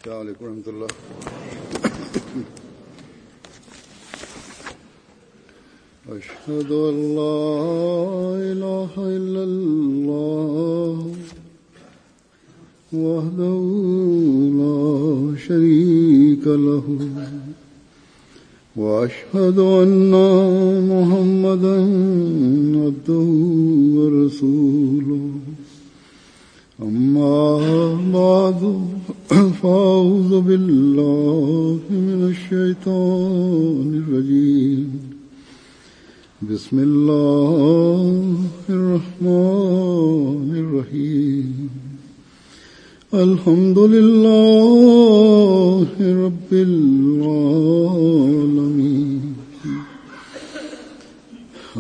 السلام عليڪم ورحمة الله. اشهد ان لا اله الا الله وحده لا شريك له واشهد ان محمدا عبده ورسوله اما بعد فاعوذ بالله من الشيطان الرجيم بسم الله الرحمن الرحيم الحمد لله رب العالمين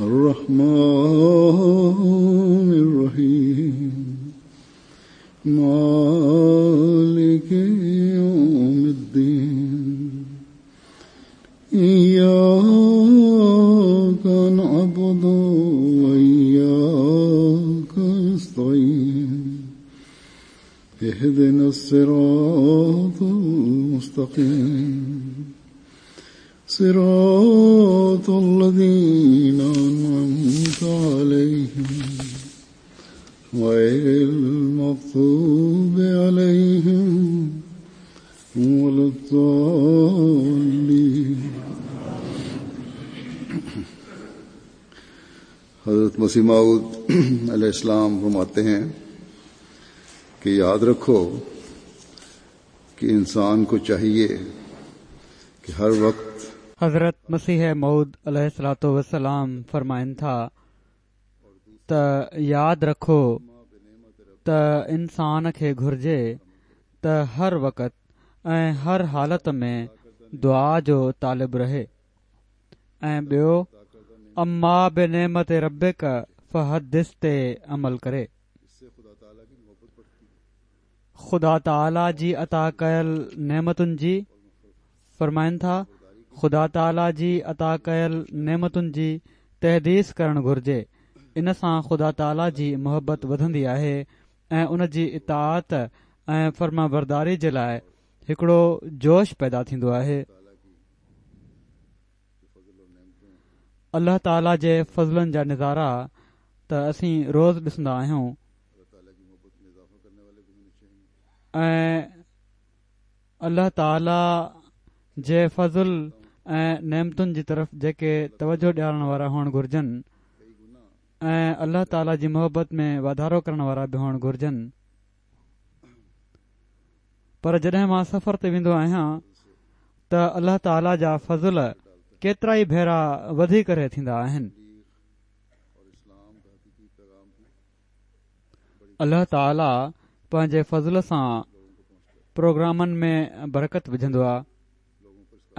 الرحمن الرحيم مالك يوم الدين إياك نعبد وإياك نستعين اهدنا الصراط المستقيم صراط الذين أنعمت عليهم غير المغضوب عليهم ولا الضالين. حضرت مسیح موعود علیہ السلام فرماتے ہیں کہ یاد رکھو کہ انسان کو چاہیے کہ ہر وقت. حضرت مسيح موعود عليه الصلوة والسلام فرمائن ٿا ته ياد رکو ته انسان کي گهرجي ته هر وقت ۽ هر حالت ۾ دعا جو طالب رهي ۽ ٻيو اما بنعمت ربڪ فحدث تي عمل ڪري. خدا تعاليٰ جي عطا ڪيل نعمتن جي فرمائن ٿا خدا تعاليٰ جي عطا ڪيل نعمتن جي تحديث ڪرڻ گهرجي ان سان خدا تعاليٰ جي محبت وڌندي آهي ۽ ان جي اطاعت ۽ فرمانبرداري جي لاء هڪڙو جوش پيدا ٿيندو آهي. الله تعاليٰ جي فضلن جا نظارا ته اسين روز ڏسندا آهيون ۽ الله تعاليٰ جي فضل ۽ نعمتن جي طرف جيڪي توجه ڏيارڻ وارا هئڻ گهرجن ۽ الله تعاليٰ جي محبت ۾ واڌارو ڪرڻ وارا به هئڻ گهرجن پر جڏهن مان سفر تي ويندو آهيان ته الله تعاليٰ جا فضل ڪيترائي ڀيرا وڌي ڪري ٿيندا آهن. الله تعاليٰ پنهنجي فضل سان پروگرامن ۾ برڪت وجهندو آهي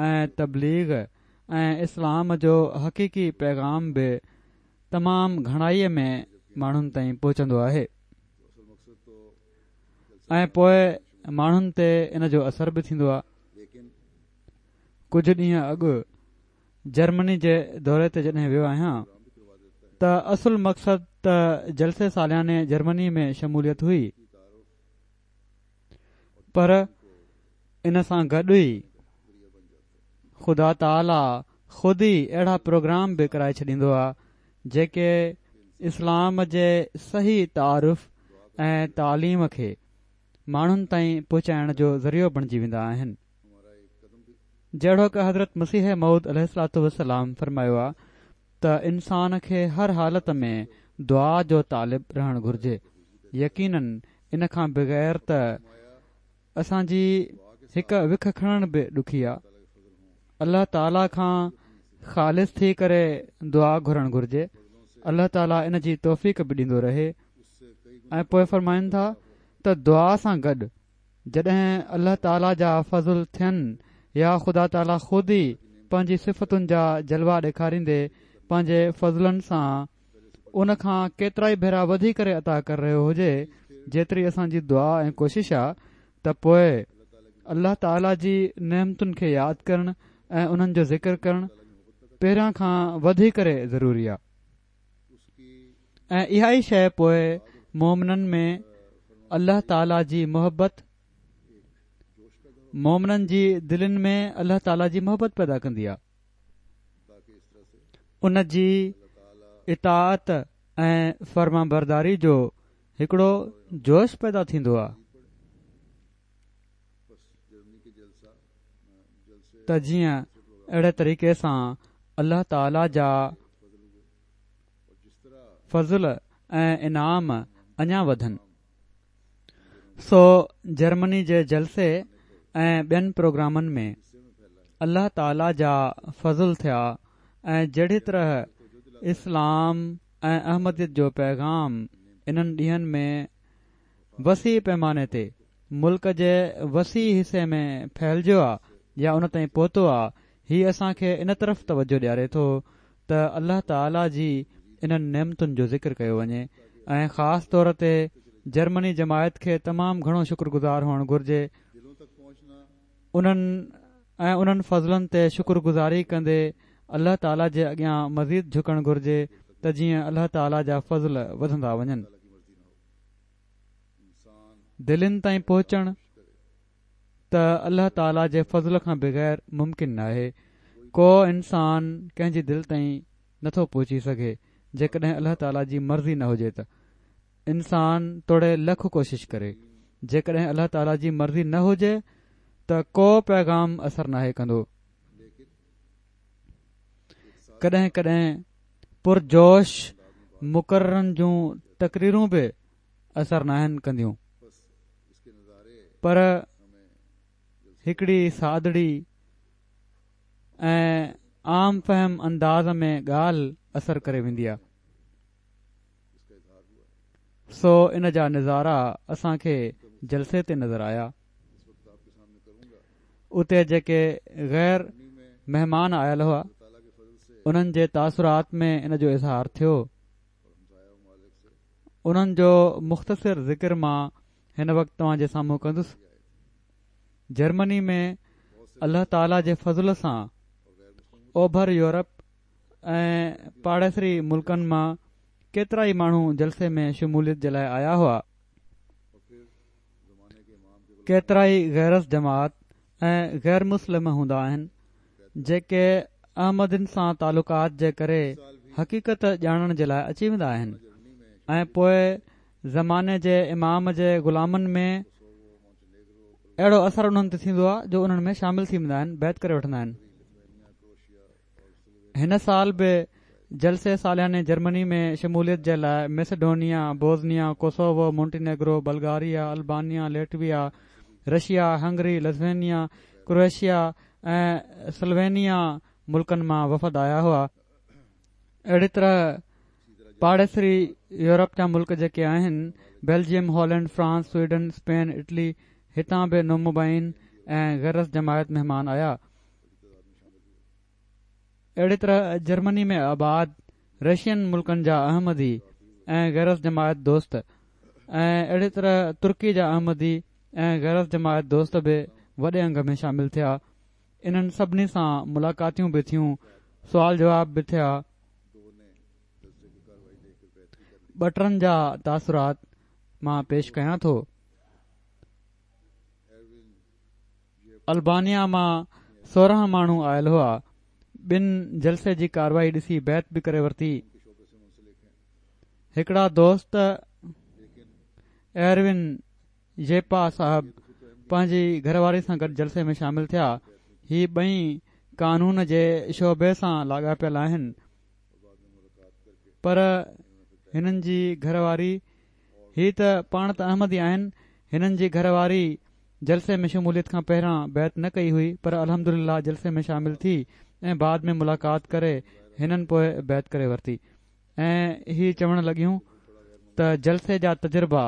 ۽ تبليغ ۽ اسلام جو حقيقي پيغام به تمام گهڻائي ۾ ماڻهن تائين پهچندو آهي. ۽ پوء ماڻهن تي ان جو اثر به ٿيندو آهي. ڪجهه ڏينهن اڳ جرمني جي دوري تي جڏهن ويو آهيان ته اصل مقصد ته جلسي سالياني جرمني ۾ شموليت هئي پر ان سان گڏ ئي خدا تعاليٰ خود ئي اهڙا پروگرام به ڪرائي ڇڏيندو آهي جيڪي اسلام جي صحيح تعارف ۽ تعليم کي ماڻهن تائين پهچائڻ جو ذريعو بڻجي ويندا آهن. جهڙوڪ حضرت مسيح موعود عليه الصلوة والسلام فرمايو آهي ته انسان کي هر حالت ۾ دعا جو طالب رهڻ گهرجي يقيناً ان کان بغير ته اسان جي هڪ وک کڻڻ به ڏکي آ. الله تعالي کان خالص ٿي ڪري دعا گهرڻ گهرجي. الله تعالي ان جي توفيق به ڏيندو رهي. ۽ پوء فرمائن ٿا ته دعا سان گڏ جڏهن الله تعالي جا فضل ٿين يا خدا تعالي خود ئي پنهنجي صفتن جا جلوا ڏيکاريندي پنهنجي فضلن سان ان کان ڪيترائي ڀيرا وڌي ڪري عطا ڪري رهيو هجي جيتري اسان جي دعا ۽ ڪوشش آ ته پوء الله تعالي جي نعمتن کي ياد ڪرڻ ۽ انهن جو ذڪر ڪرڻ پهريان کان وڌي ڪري ضروري آ ۽ اها ئي شيء پوء مومنن ۾ الله تعالي جي محبت. مومنن جي دلين ۾ الله تعاليٰ جي محبت پيدا ڪندي آهي. ان جي اطاعت ۽ فرمانبرداري جو هڪڙو جوش پيدا ٿيندو آهي ته جيئن اهڙي طريقي سان الله تعاليٰ جا فضل ۽ انعام اڃا وڌن. سو جرمني جي جلسي ۽ ٻين پروگرامن ۾ الله تعالي جا فضل ٿيا ۽ جهڙي طرح اسلام ۽ احمديت جو پيغام انهن ڏينهن ۾ وسيع پيماني تي ملڪ جي وسيع حصي ۾ ڦهلجيو آ يا ان تائين پهتو آ هي اسان کي ان طرف توجه ڏياري ٿو ته الله تعالي جي انهن نعمتن جو ذڪر ڪيو وڃي ۽ خاص طور تي جرمني جماعت کي تمام گهڻو شڪر گذار هئڻ گهرجي انهن ۽ انهن فضلن تي شڪر گذاري ڪندي الله تعالي جي اڳيان مزيد جهڪڻ گهرجي ته جيئن الله تعالي جا فضل وڌندا وڃن. دلين تائين پهچڻ. ته الله تعالي جي فضل کان بغير ممڪن ناهي، ڪو انسان ڪنهن جي دل تائين نٿو پهچي سگهي جيڪڏهن الله تعالي جي مرضي نه هجي ته انسان توڙي لک ڪوشش ڪري جيڪڏهن الله تعالي جي مرضي نه هجي ته ڪو پيغام اثر ناهي ڪندو. ڪڏهن ڪڏهن پرجوش مقررن جون تقريرون به اثر ناهن ڪنديون پر هڪڙي سادڙي ۽ عام فهم انداز ۾ ڳالهه اثر ڪري ويندي آهي سو ان جا نظارا اسان کي جلسي تي نظر آيا اتي جيڪي غير مهمان آيل هئا انهن جي تاثرات ۾ ان جو اظهار ٿيو انهن جو مختصر ذڪر مان هن وقت توهان جي سامهون ڪندس. جرمني ۾ الله تعاليٰ جي فضل سان اوڀر يورپ ۽ پاڙيسري ملڪن مان ڪيترائي ماڻهو جلسي ۾ شموليت جي لاء آيا هئا. ڪيترائي غير از جماعت ۽ غير مسلم هوندا آهن جيڪي احمدين سان تعلقات جي ڪري حقيقت ڄاڻڻ جي لاء اچي ويندا آهن ۽ پوء زماني جي امام جي غلامن ۾ اهڙو اثر انهن تي ٿيندو آهي جو انهن ۾ شامل ٿي ويندا آهن بيعت ڪري وٺندا آهن هن سال به جلسي سالياني جرمني ۾ شموليت جي لاء Macedonia, Bosnia, Kosovo, Montenegro, Bulgaria, Albania, Latvia, Russia, Hungary, Lithuania, Croatia ۽ Slovenia ملڪن مان وفد آيا هئا. اهڙي طرح پاڙيسري يورپ جا ملڪ جيڪي آهن Belgium, Holland, France, Sweden, Spain, Italy هتان به نومبائعين ۽ غير از جماعت مهمان آيا. اهڙي طرح جرمني ۾ آباد رشين ملڪن جا احمدي ۽ غير از جماعت دوست ۽ اهڙي طرح ترڪي جا احمدي ۽ غير از جماعت دوست به وڏي انگ ۾ شامل ٿيا. انهن سڀني سان ملاقاتيون به ٿيون، سوال جواب به ٿيا. ٻه ٽن جا تاثرات مان پيش ڪيان ٿو. البانيا مان 16 ماڻهو آيل هئا. ٻن جلسي جي ڪارروائي ڏسي بيعت به ڪري ورتي. هڪڙا دوست ايروين ييپا صاحب پنهنجي گهر واري سان گڏ جلسي ۾ شامل ٿيا. هي ٻئي قانون جي شعبي سان لاڳاپيل آهن پر هنن جي گهر واري هي ته پاڻ ته احمدي آهن، هنن جي گهر واري جلسي ۾ شموليت کان پهريان بيعت نه ڪئي هئي پر الحمدلله جلسي ۾ شامل ٿي ۽ بعد ۾ ملاقات ڪري هنن پوء بيعت ڪري ورتي ۽ هي چوڻ لڳيون ته جلسي جا تجربا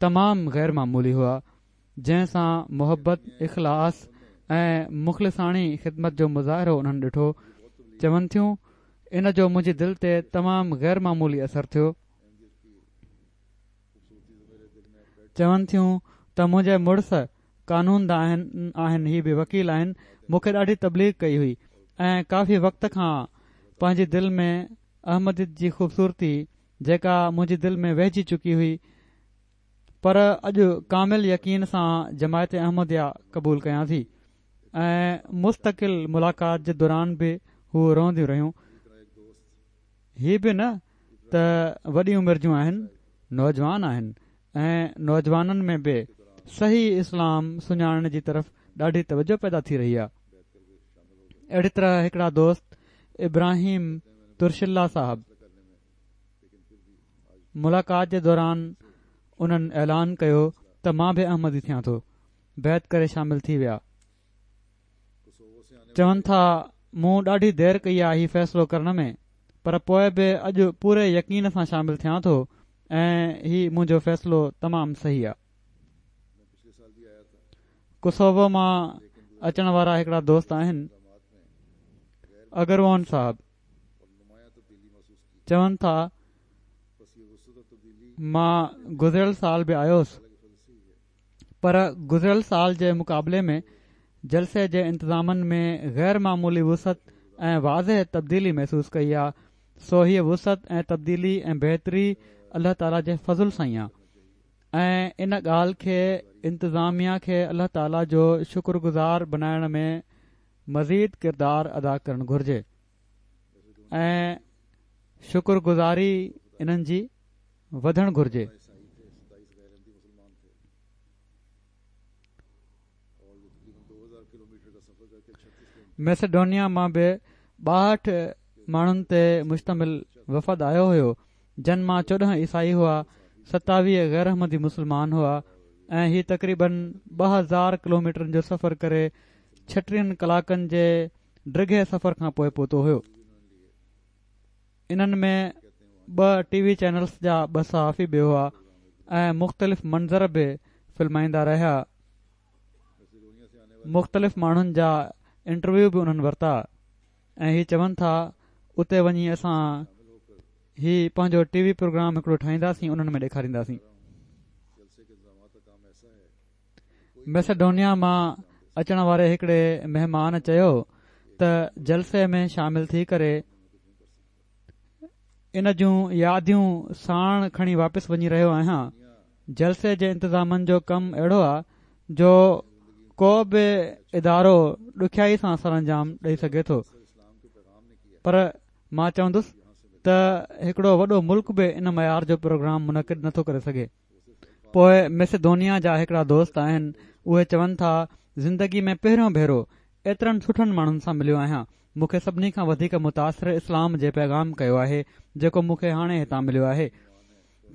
تمام غير معمولي هئا جنهن سان محبت، اخلاص ۽ مخلصاڻي خدمت جو مظاهرو انهن ڏٺو چون ٿيون ان جو منهنجي دل تي تمام غير معمولي اثر ٿيو. چون ٿيون ته منهنجي مڙس قانون دان آهن هي به وڪيل آهن مون کي ڏاڍي تبليغ ڪئي هئي ۽ ڪافي وقت کان پنهنجي دل ۾ احمديت جي خوبصورتي جيڪا منهنجي دل ۾ ويهجي چڪي هئي. پر اڄ ڪامل يقين سان جماعت احمديه قبول ڪيان ٿي ۽ مستقل ملاقات جي دوران به هو روئنديون رهيون. هي به نه ته وڏي عمر جون آهن، نوجوان آهن ۽ نوجوانن ۾ به صحيح اسلام سڃاڻڻ جي طرف ڏاڍي توجه پيدا ٿي رهي آهي. اهڙي طرح هڪڙا دوست ابراهيم ترشلا صاحب ملاقات جي دوران انهن اعلان ڪيو ته مان به احمدي ٿيان ٿو بيعت ڪري شامل ٿي ويا. چون ٿا مون ڏاڍي دير ڪئي آهي هي فيصلو ڪرڻ ۾ پر پوء به اڄ پوري يقين سان شامل ٿيان ٿو ۽ هي منهنجو فيصلو تمام صحيح آ. ڪوسوو مان اچڻ وارا هڪڙا دوست آهن اگرون صاحب چون ٿا مان گذريل سال به آيو هوس پر گذريل سال جي مقابلي ۾ جلسي جي انتظامن ۾ غير معمولي وسعت ۽ واضح تبديلي محسوس ڪئي آ سو هيء وسعت ۽ تبديلي ۽ بهتري الله تعاليٰ جي فضل سان ئي آ ۽ ان ڳالهه کي انتظاميا کي الله تعاليٰ جو شڪر گذار بنائڻ ۾ مزيد ڪردار ادا ڪرڻ گهرجي ۽ شڪر گذاري انهن جي وڌڻ گهرجي. ميسيڊونيا مان به 62 ماڻهن تي مشتمل وفد آيو هيو جن مان 14 عيسائي هئا، 27 غير احمدي مسلمان هئا ۽ هي تقريبن 2000 ڪلوميٽرن جو سفر ڪري 36 ڪلاڪن جي ڊگهي سفر کان پوء پهتو هيو. انهن ۾ ٻه ٽي وي چينلز جا ٻه صحافي به هئا ۽ مختلف منظر به فلمائيندا رهيا. مختلف ماڻهن جا انٽرويو به انهن ورتا ۽ هي چون ٿا اتي وڃي اسان هي پنهنجو ٽي وي پروگرام هڪڙو ٺاهينداسين انهن ۾ ڏيکارينداسين. ميسيڊونيا مان اچڻ واري هڪڙي مهمان چيو ته جلسي ۾ شامل ٿي ڪري ان جون ياديون ساڻ کڻي واپس وڃي رهيو آهيان جلسي جي انتظامن جو ڪم اهڙو آ جو ڪو به ادارو ڏکيائي سان سرانجام ڏئي سگهي ٿو پر مان چوندس ته هڪڙو وڏو ملڪ به ان معيار جو پروگرام منعقد نٿو ڪري سگهي پوء ميسيدونيا جا هڪڙا دوست آهن اهي چون ٿا زندگي ۾ پهريون ڀيرو ايترن سٺن ماڻهن سان مليو آهيان مون کي سڀني کان وڌيڪ متاثر اسلام جي پيغام ڪيو آهي جيڪو مون کي هاڻي هتان مليو آهي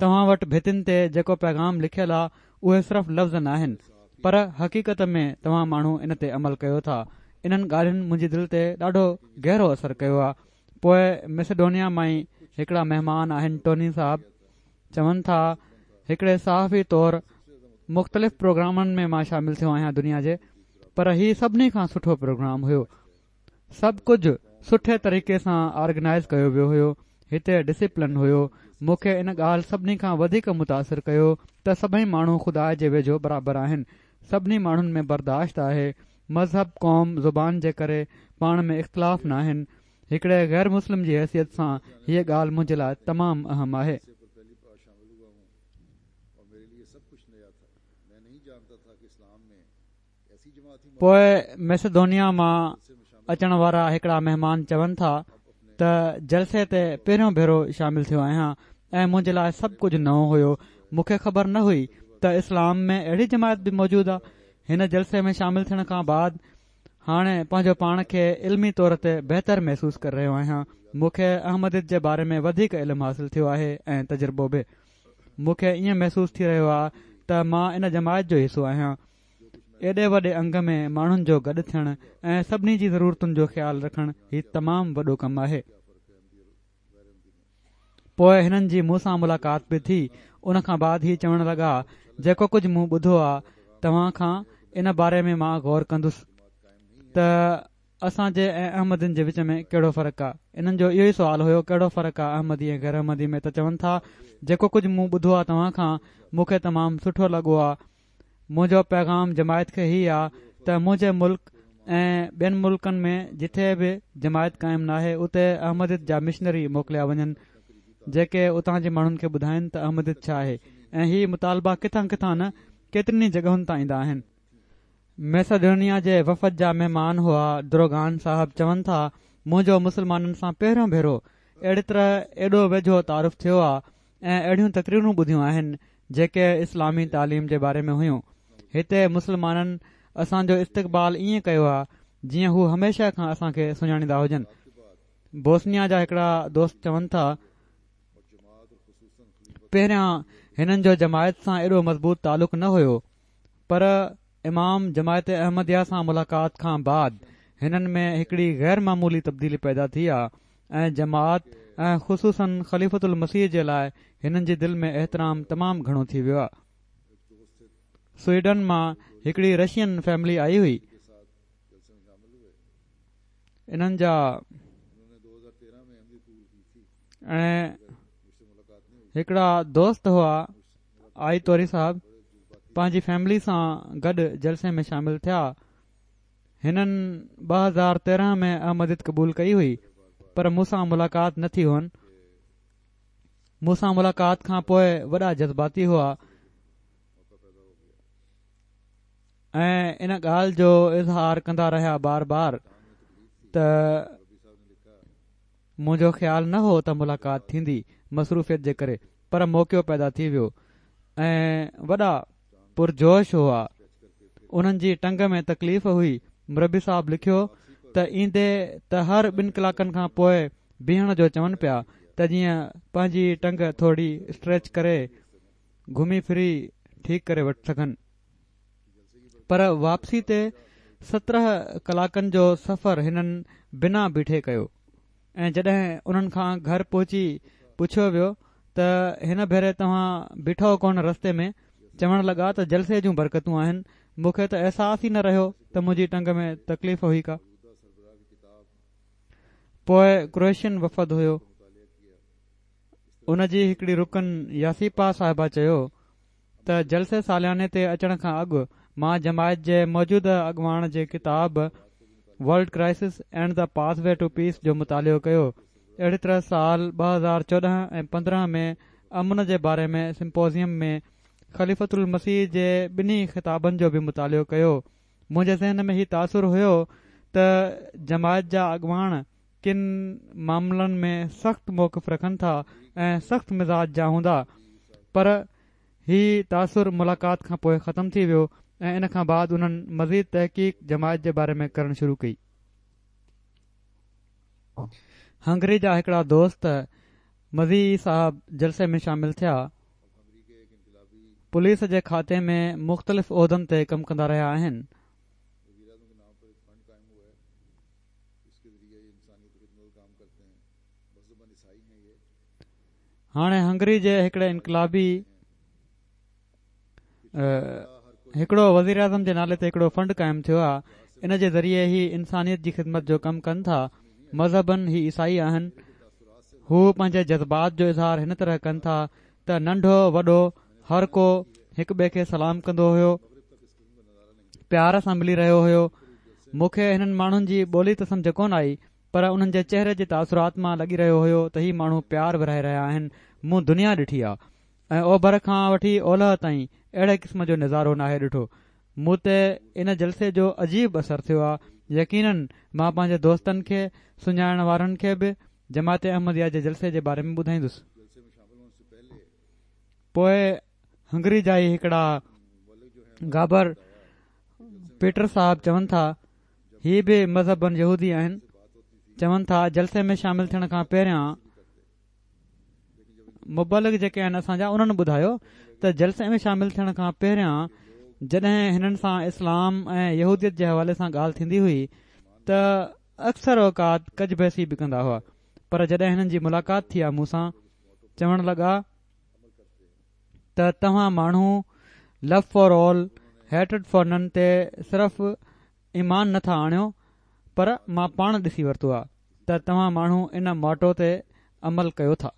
توهان وٽ ڀتين تي جيڪو پيغام لکيل آ اهي صرف لفظ ناهن پر حقيقت ۾ توهان ماڻهو ان تي عمل ڪيو ٿا انهن ڳالهين منهنجي دل تي ڏاڍو گهرو اثر ڪيو آ پوء ميسيڊونيا مان ئي هڪڙا مهمان آهن ٽوني صاحب چون ٿا هڪڙي صحافي طور مختلف پروگرامن ۾ مان شامل ٿيو آهيان دنيا جي پر هي سڀني کان سٺو پروگرام هيو سڀ ڪجهه سٺي طريقي سان آرگنائز ڪيو ويو هيو هتي ڊسيپلن هيو مون کي ان ڳالهه سڀني کان وڌيڪ متاثر ڪيو ته سڀئي ماڻهو خدا جي ويجهو برابر آهن سڀني ماڻهن ۾ برداشت آهي مذهب قوم زبان جي ڪري پاڻ ۾ اختلاف ناهن هڪڙي غير مسلم جي حيثيت سان هيء ڳالهه منهنجي لاء تمام اهم آهي. پوء ميسيدونيا مان اچڻ وارا هڪڙا مهمان چون ٿا ته جلسي تي پهريون ڀيرو شامل ٿيو آهيان ۽ منهنجي لاء سڀ ڪجهه نئون هيو مون کي خبر نه هئي ته اسلام ۾ اهڙي جماعت به موجود آهي هن جلسي ۾ شامل ٿيڻ کان بعد هاڻي پنهنجو پاڻ کي علمي طور تي بهتر محسوس ڪري رهيو آهيان. مون کي احمديت جي باري ۾ وڌيڪ علم حاصل ٿيو آهي ۽ تجربو به. مون کي ائين محسوس ٿي رهيو آهي ته مان ان جماعت جو حصو آهيان. ايڏي وڏي انگ ۾ ماڻهن جو گڏ ٿيڻ ۽ سڀني جي ضرورتن جو خيال رکڻ هي تمام وڏو ڪم آهي. پوء هنن جي مون سان ملاقات به ٿي، ان کان بعد هي چوڻ لڳا، جيڪو ڪجهه مون ٻڌو آ توهان کان ان باري ۾ مان غور ڪندس ته اسان جي ۽ احمدين جي وچ ۾ ڪهڙو فرق آ؟ انهن جو اهو ئي سوال هيو ڪهڙو فرق آ احمدي ۽ غير احمدي ۾ ته چون ٿا جيڪو ڪجهه مون ٻڌو آ توهان کان مون کي تمام سٺو لڳو آ منهنجو پيغام جماعت کي هي آ ته منهنجي ملڪ ۽ ٻين ملڪن ۾ جٿي به جماعت قائم ناهي اتي احمديت جا مشنري موڪليا وڃن جيڪي اتان جي ماڻهن کي ٻڌائن ته احمديت ڇا آهي ۽ هي مطالبا ڪٿان ڪٿان نه ڪيترين ئي جڳهن تان ايندا آهن. ميساڊونيا جي وفد جا مهمان هئا دروگان صاحب چون ٿا منهنجو مسلمانن سان پهريون ڀيرو اهڙي طرح ايڏو ويجهو تعارف ٿيو آ ۽ اهڙيون تقريرون ٻڌيون آهن جيڪي اسلامي تعليم جي باري ۾ هيون. هتي مسلمانن اسان جو استقبال ائين ڪيو آ جيئن هو هميشه کان اسان کي سڃاڻيندا هجن. بوسنيا جا هڪڙا دوست چون ٿا، پهريان هنن جو جماعت سان ايڏو مضبوط تعلق نه هيو پر امام جماعت احمديه سان ملاقات کان بعد هنن ۾ هڪڙي غير معمولي تبديلي پيدا ٿي آ ۽ جماعت ۽ خصوصاً خليفة المسيح جي لاء هنن جي دل ۾ احترام تمام گهڻو ٿي ويو آ. سوئيڊن مان هڪڙي رشين فيملي آئي هئي. انهن جا ۽ هڪڙا دوست هئا آئي توري صاحب پنهنجي فيملي سان گڏ جلسي ۾ شامل ٿيا. هنن 2013 ۾ احمديت قبول ڪئي هئي پر مون سان ملاقات نه ٿي هئن. مون سان ملاقات کان پوء وڏا جذباتي هئا ۽ ان ڳالهه جو اظهار ڪندا رهيا بار بار ته منهنجو خيال نه هو ته ملاقات ٿيندي مصروفيت جي ڪري پر موقعو پيدا ٿي ويو ۽ وڏا پرجوش هئا انهن جي ٽنگ ۾ تڪليف هئي مربي صاحب لکيو ته ايندي ته هر ٻن ڪلاڪن کان پوء بيهڻ جو چون پيا ته جيئن پنهنجي ٽنگ ٿوري اسٽريچ ڪري گهمي ڦري ٺيڪ ڪري وٺ سگهن پر واپسي تي 17 ڪلاڪن جو سفر هنن بنا بيٺي ڪيو ۽ جڏهن انهن کان گهر پهچي پڇيو ويو ته هن ڀيري توهان بيٺو ڪونه رستي ۾ چوڻ لڳا ته جلسي جون برڪتون آهن مون کي ته احساس ئي نه رهيو ته منهنجي ٽنگ ۾ تڪليف هئي ڪا. پوء ڪروئيشين وفد هيو ان جي هڪڙي رڪن ياسيپا صاحبه چيو ته جلسي سالياني تي اچڻ کان اڳ مان جماعت جي موجوده اڳواڻ جي ڪتاب World Crisis and the Pathway to Peace جو مطالعو ڪيو. اهڙي طرح سال 2014 ۽ 15 ۾ امن جي باري ۾ سمپوزيم ۾ خليفة المسيح جي ٻنهي خطابن جو به مطالعو ڪيو. منهنجي ذهن ۾ هي تاثر هيو ته جماعت جا اڳواڻ ڪن معاملن ۾ سخت موقف رکن ٿا ۽ سخت مزاج جا هوندا پر هي تاثر ملاقات کان پوء ختم ٿي ويو ۽ ان کان بعد انهن مزيد تحقيق جماعت جي باري ۾ ڪرڻ شروع ڪئي. هنگري جا هڪڙا دوست مزي صاحب جلسي ۾ شامل ٿيا. پوليس جي کاتي ۾ مختلف عهدن تي ڪم ڪندا رهيا آهن. هاڻي هنگري جي هڪڙي انقلابي هڪڙو وزيراعظم جي نالي تي هڪڙو فنڊ قائم ٿيو آهي ان جي ذريعي هي انسانيت جي خدمت جو ڪم ڪن ٿا مذهباً هي عيسائي آهن هو پنهنجي جذبات جو اظهار هن طرح ڪن ٿا ته ننڍو وڏو هر ڪو هڪ ٻئي کي سلام ڪندو هيو پيار سان ملي رهيو هيو. مون کي هنن ماڻهن جي ٻولي ته سمجهه ڪونه آئي پر انهن جي چهري جي تاثرات مان لڳي رهيو هيو ته هي ماڻهو پيار ورهائي رهيا آهن. مون دنيا ڏٺي آ ۽ اوڀر کان وٺي اولهه تائين اهڙي قسم جو نظارو ناهي ڏٺو. مون تي ان جلسي جو عجيب اثر ٿيو آ. يقينن مان پنهنجي دوستن کي، سڃاڻڻ وارن کي به جماعت احمديه جي جلسي جي باري ۾ ٻڌائيندس. پوء هنگري جا ئي هڪڙا گابر پيٽر صاحب چون ٿا هي به مذهباً يهودي آهن چون ٿا جلسي ۾ شامل ٿيڻ کان پهريان مبلغ جيڪي آهن اسان جا انهن ٻڌايو ته جلسي ۾ شامل ٿيڻ کان پهريان جڏهن هنن سان اسلام ۽ يهوديت جي حوالي سان ڳالهه ٿيندي هئي ته اڪثر اوقات ڪج بحثي به ڪندا هئا پر جڏهن هنن جي ملاقات ٿي آ مون سان چوڻ لڳا ته توهان ماڻهو Love for all Hatred for none تي صرف ايمان نه ٿا آڻيو پر مان پاڻ ڏسي ورتو آ ته توهان ماڻهو ان موٽو تي عمل ڪيو ٿا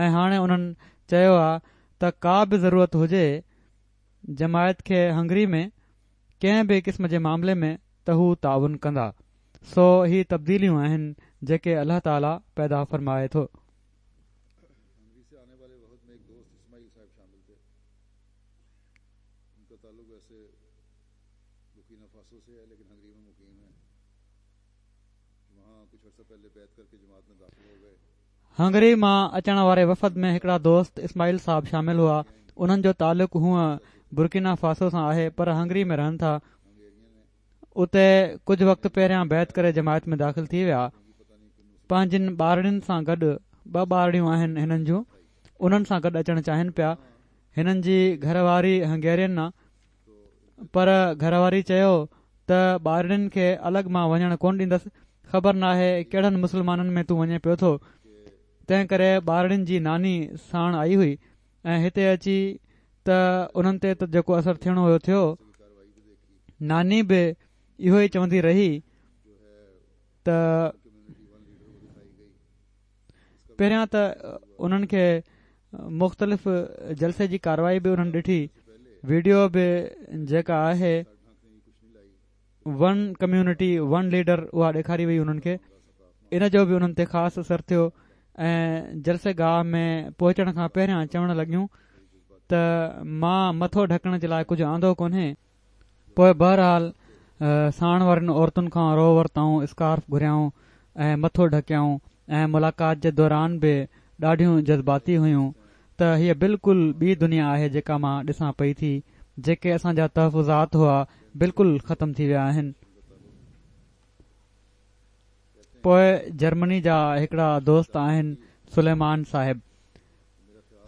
۽ هاڻي انهن چيو آ ته ڪا به ضرورت هجي جماعت کي هنگري ۾ ڪنهن به قسم جي معاملي ۾ ته هو تعاون ڪندا سو هي تبديليون آهن جيڪي الله تعالي پيدا فرمائي ٿو. هنگري مان اچڻ واري وفد ۾ هڪڙا دوست اسماعيل صاحب شامل هئا. انهن جو تعلق هونء برڪينا فاسو سان آهي پر هنگري ۾ رهن ٿا. اتي ڪجهه وقت پهريان بيعت ڪري جماعت ۾ داخل ٿي ويا. پنهنجين ٻارڙين سان گڏ ٻه ٻارڙيون آهن هنن جون انهن سان گڏ اچڻ چاهين پيا. هنن جي گهر واري هنگيرين آ. پر گهر واري چيو ته ٻارڙين کي الڳ مان وڃڻ ڪونه ڏيندس، خبر ناهي ڪهڙن مسلمانن ۾ تون وڃين پيو ٿو، تنهن ڪري ٻارڙين جي ناني ساڻ آئي هئي ۽ هتي اچي ته انهن تي ته جيڪو اثر ٿيڻو هيو ٿيو، ناني به اهو ئي چوندي رهي ته. پهريان ته انهن کي مختلف جلسي جي ڪارروائي به انهن ڏٺي ويڊيو به جيڪا آهي ون ڪميونٽي ون ليڊر اها ڏيکاري وئي انهن کي ان جو به انهن تي خاص اثر ٿيو ۽ جلسي گاهه ۾ پهچڻ کان پهريان چوڻ لڳيون ته مان مٿو ڍڪڻ جي لاء ڪجهه آندو ڪونهي پوء بهرحال ساڻ وارين عورتن کان رو ورتائون، اسڪارف گهريائون ۽ مٿو ڍڪيائون ۽ ملاقات جي دوران به ڏاڍيون جذباتي هيون ته هيء بلڪل ٻي دنيا آهي جيڪا مان ڏسان پئي ٿي، جيڪي اسان جا تحفظات هئا بلڪل ختم ٿي ويا آهن. پوء جرمني جا هڪڙا دوست آهن سليمان صاحب.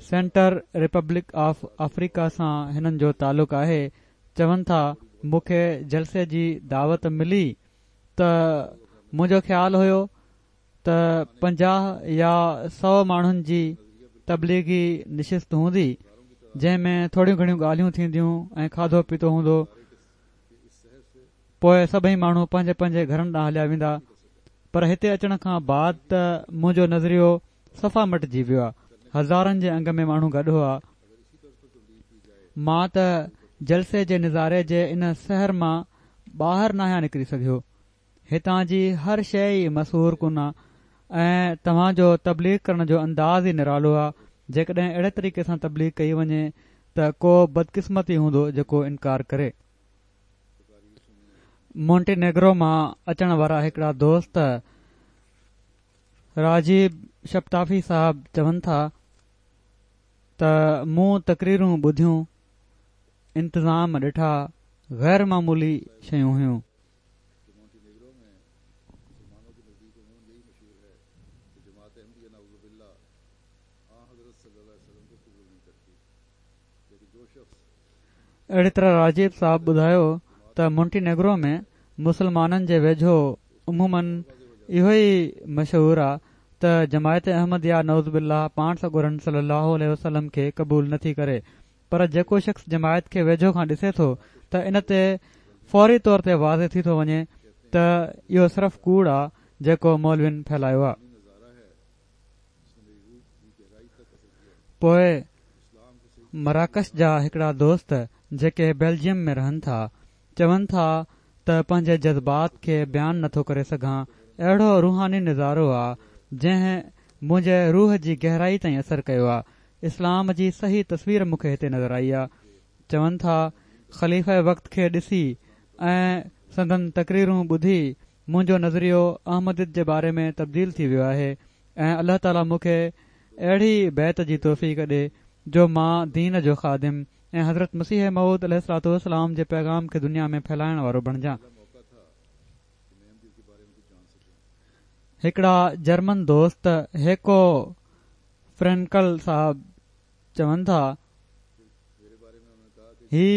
سينٽر ريپبلڪ آف آفريڪا سان هنن جو تعلق آهي، چون ٿا مون کي جلسي جي دعوت ملي ته منهنجو خيال هيو ته 50 يا 100 ماڻهن جي تبليغي نشست هوندي جنهن ۾ ٿوريون گهڻيون ڳالهيون ٿينديون ۽ کاڌو پيتو هوندو پوء سڀئي ماڻهو پنهنجي پنهنجي گهرن ڏانهن هليا ويندا پر هتي اچڻ کان بعد ته منهنجو نظريو صفا مٽجي ويو آ هزارن جي انگ ۾ ماڻهو گڏ هئا مان ته جلسي جي نظاري جي ان سحر مان ٻاهر ناهيان نڪري سگهيو هتان جي هر شيء ئي مسحور ڪن آ ۽ توهان جو تبليغ ڪرڻ جو انداز ئي نرالو آ جيڪڏهن اهڙي طريقي سان تبليغ ڪئي وڃي ته ڪو بدقسمت ئي هوندو جيڪو انڪار ڪري. مونٽينيگرو مان اچڻ وارا هڪڙا دوست راجيب شپتافي صاحب چون ٿا ته مون تقريرون ٻڌيون، انتظام ڏٺا، غير معمولي شيون هيون. اهڙي طرح راجيب صاحب ٻڌايو ته مونٽينيگرو ۾ مسلمانن جي ويجهو عموماً اهو ئي مشهور آ ته جماعت احمديه نعوذ بالله پاڻ سڳورن صلي الله عليه وسلم کي قبول نه ٿي ڪري پر جيڪو شخص جماعت کي ويجهو کان ڏسي ٿو ته ان تي فوري طور تي واضح ٿي ٿو وڃي ته اهو صرف ڪوڙ آ جيڪو مولوين ڦهلايو آ. پوء مراڪش جا هڪڙا دوست جيڪي بيلجيم ۾ رهن ٿا، چون ٿا ته پنهنجي جذبات کي بيان نٿو ڪري سگهان، اهڙو روحاني نظارو آ، جنهن منهنجي روح جي گهرائي تائين اثر ڪيو آ، اسلام جي صحيح تصوير مون کي هتي نظر آئي آ. چون ٿا خليفه وقت کي ڏسي ۽ سندن تقريرون ٻڌي منهنجو نظريو احمديت جي باري ۾ تبديل ٿي ويو آهي ۽ الله تعالي مون کي اهڙي بيعت جي توفيق ڏي جو مان دين جو خادم ۽ حضرت مسيح موعود عليه الصلوة والسلام جي پيغام کي دنيا ۾ ڦهلائڻ وارو بڻجان. هڪڙا جرمن دوست هيڪو فرينڪل صاحب چون ٿا، هي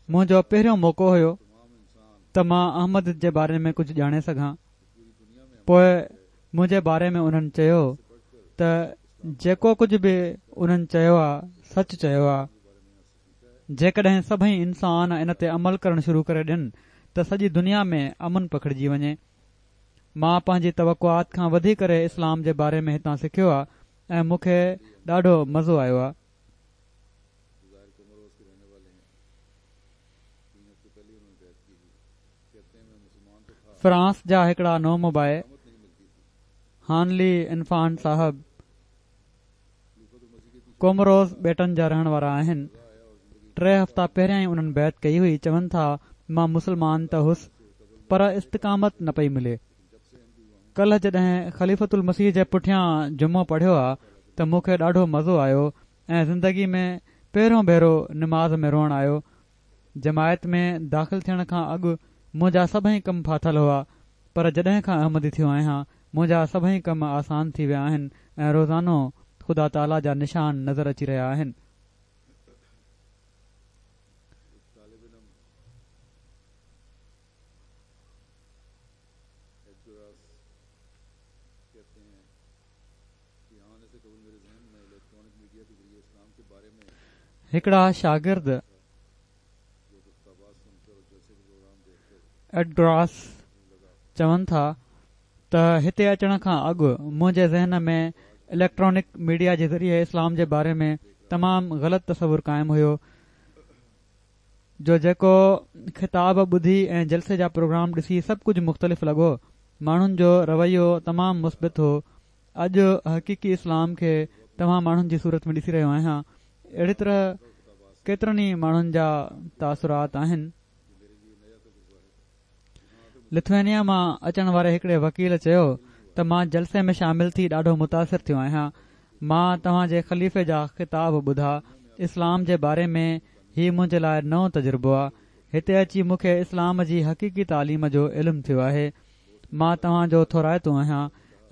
منهنجو پهريون موقعو هيو ته مان احمديت جي باري ۾ ڪجهه ڄاڻي سگهان. پوء منهنجي باري ۾ انهن چيو ته جيڪو ڪجهه به انهن چيو آ سچ چيو آ. جيڪڏهن سڀئي انسان ان تي عمل ڪرڻ شروع ڪري ڏين ته سڄي دنيا ۾ امن پکڙجي وڃي. مان پنهنجي توقعات کان وڌي ڪري اسلام جي باري ۾ هتان سکيو آ ۽ مون کي ڏاڍو مزو آيو آ. فرانس جا هڪڙا نومبائع هانلي انفان صاحب ڪوموروس ٻيٽن جا رهڻ وارا آهن. ٽي هفتا پهريان ئي انهن بيعت ڪئي هئي، چون ٿا مان مسلمان ته هوس پر استقامت نه پئي ملي. ڪلهه جڏهن خليفة المسيح جي پٺيان جمعو پڙهيو آ ته مون کي ڏاڍو مزو آيو ۽ زندگي ۾ پهريون ڀيرو نماز ۾ روئڻ آيو. جماعت ۾ داخل ٿيڻ کان اڳ منهنجا سڀئي ڪم ڦاٿل هئا پر جڏهن کان احمدي ٿيو آهيان منهنجا سڀئي ڪم آسان ٿي ويا آهن ۽ روزانو خدا تعاليٰ جا نشان نظر اچي رهيا آهن. هڪڙا شاگرد ايڊگراس چون ٿا ته هتي اچڻ کان اڳ منهنجي ذهن ۾ اليڪٽرانڪ ميڊيا جي ذريعي اسلام جي باري ۾ تمام غلط تصور قائم هيو جو جيڪو خطاب ٻڌي ۽ جلسي جا پروگرام ڏسي سڀ ڪجهه مختلف لڳو. ماڻهن جو رويو تمام مثبت هو. اڄ حقيقي اسلام کي توهان ماڻهن جي صورت ۾ ڏسي رهيو آهيان. اهڙي طرح ڪيترن ئي ماڻهن جا تاثرات آهن. لٿوينيا مان اچڻ واري هڪڙي وڪيل چيو ته مان جلسي ۾ شامل ٿي ڏاڍو متاثر ٿيو آهيان. مان توهان جي خليفي جا خطاب ٻڌا. اسلام جي باري ۾ هي منهنجي لاء نئون تجربو آ. هتي اچي مون کي اسلام جي حقيقي تعليم جو علم ٿيو آهي. مان توهان جو ٿورائتو آهيان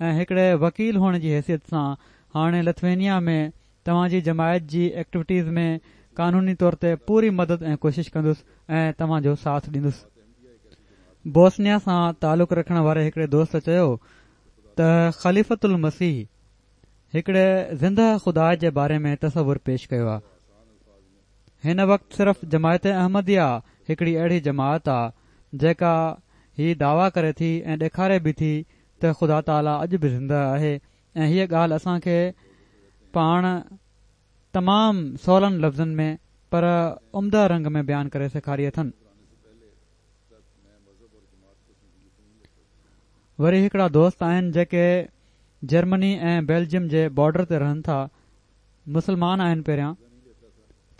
۽ هڪڙي وڪيل هئڻ جي حيثيت سان هاڻي لٿوينيا ۾ توهان جي جماعت جي ايڪٽوٽيز ۾ قانوني طور تي پوري مدد ۽ ڪوشش ڪندس ۽ توهان جو ساٿ ڏيندس. بوسنيا سان تعلق رکڻ واري هڪڙي دوست چيو ته خليفة المسيح هڪڙي زنده خدا جي باري ۾ تصور پيش ڪيو آ. هن وقت صرف جماعت احمديه هڪڙي اهڙي جماعت آ جيڪا هي دعويٰ ڪري ٿي ۽ ڏيکاري به ٿي ته خدا تعاليٰ اڄ به زنده آهي ۽ هيء ڳالهه اسان کي پاڻ تمام سولن لفظن ۾ پر عمده رنگ ۾ بيان ڪري سيکاري اٿن. وري هڪڙا دوست آهن جيڪي جرمني ۽ بيلجيم جي بارڊر تي رهن ٿا. مسلمان آهن پهريان.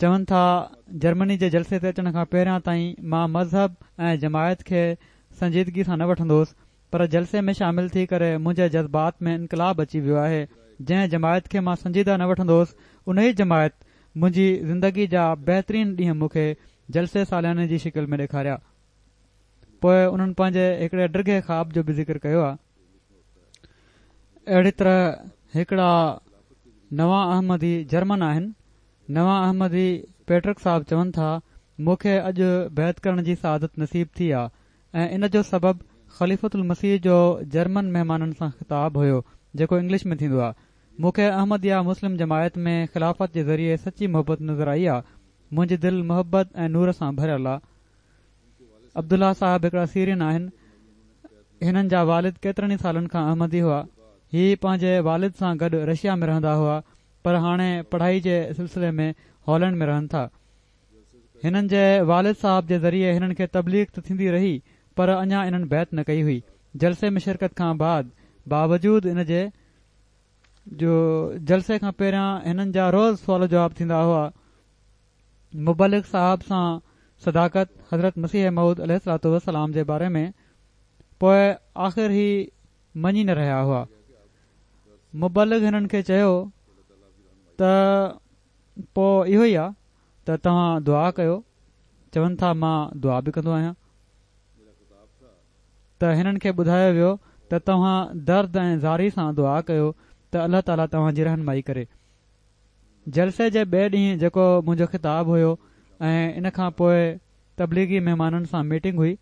چون ٿا جرمني جي جلسي تي اچڻ کان پهريان تائين مان مذهب ۽ جماعت کي سنجيدگي سان نه وٺندو هوس پر جلسي ۾ شامل ٿي ڪري منهنجي جذبات ۾ انقلاب اچي ويو آهي، جنهن جماعت کي مان سنجيده نه وٺندو هوس، انهي جماعت منهنجي زندگي جا بهترين ڏينهن مون کي جلسي سالياني جي شڪل ۾ ڏيکاريا. پوء انهن پنهنجي هڪڙي ڊگهي خواب جو به ذڪر ڪيو آهي. اهڙي طرح هڪڙا نوان احمدي جرمن آهن. نوان احمدي پيٽرڪ صاحب چون ٿا، مون کي اڄ بيعت ڪرڻ جي سعادت نصيب ٿي آ ۽ ان جو سبب خليفة المسيح جو جرمن مهمانن سان خطاب هيو جيڪو انگلش ۾ ٿيندو آ. مون کي احمديه مسلم جماعت ۾ خلافت جي ذريعي سچي محبت نظر آئي آ. منهنجي دل محبت ۽ نور سان ڀريل آ. عبدالله صاحب هڪڙا سيرين آهن. هنن جا والد ڪيترن ئي سالن کان احمدي هئا. هي پنهنجي والد سان گڏ رشيا ۾ رهندا هئا پر هاڻي پڙهائي جي سلسلي ۾ هالينڊ ۾ رهن ٿا. هنن جي والد صاحب جي ذريعي هنن کي تبليغ ته ٿيندي رهي پر اڃا انهن بيعت نه ڪئي هئي. جلسي ۾ شرڪت کان بعد باوجود ان جي جو جلسي کان پهريان هنن جا روز سوال جواب ٿيندا هئا مبلغ صاحب سان صداقت حضرت مسيح موعود عليه الصلوة والسلام جي باري ۾ پوء آخر هي مڃي نه رهيا هئا. مبلغ هنن کي چيو ته پوء اهو ئي آ ته توهان دعا ڪيو، چون ٿا مان دعا به ڪندو آهيان ته هنن کي ٻڌايو ويو ته توهان درد ۽ زاري سان دعا ڪيو ته الله تعالي توهان جي رهنمائي ڪري. جلسي جي ٻئي ڏينهن جيڪو منهنجو خطاب هيو ۽ ان کان پوء تبليغي مهمانن سان ميٽنگ هئي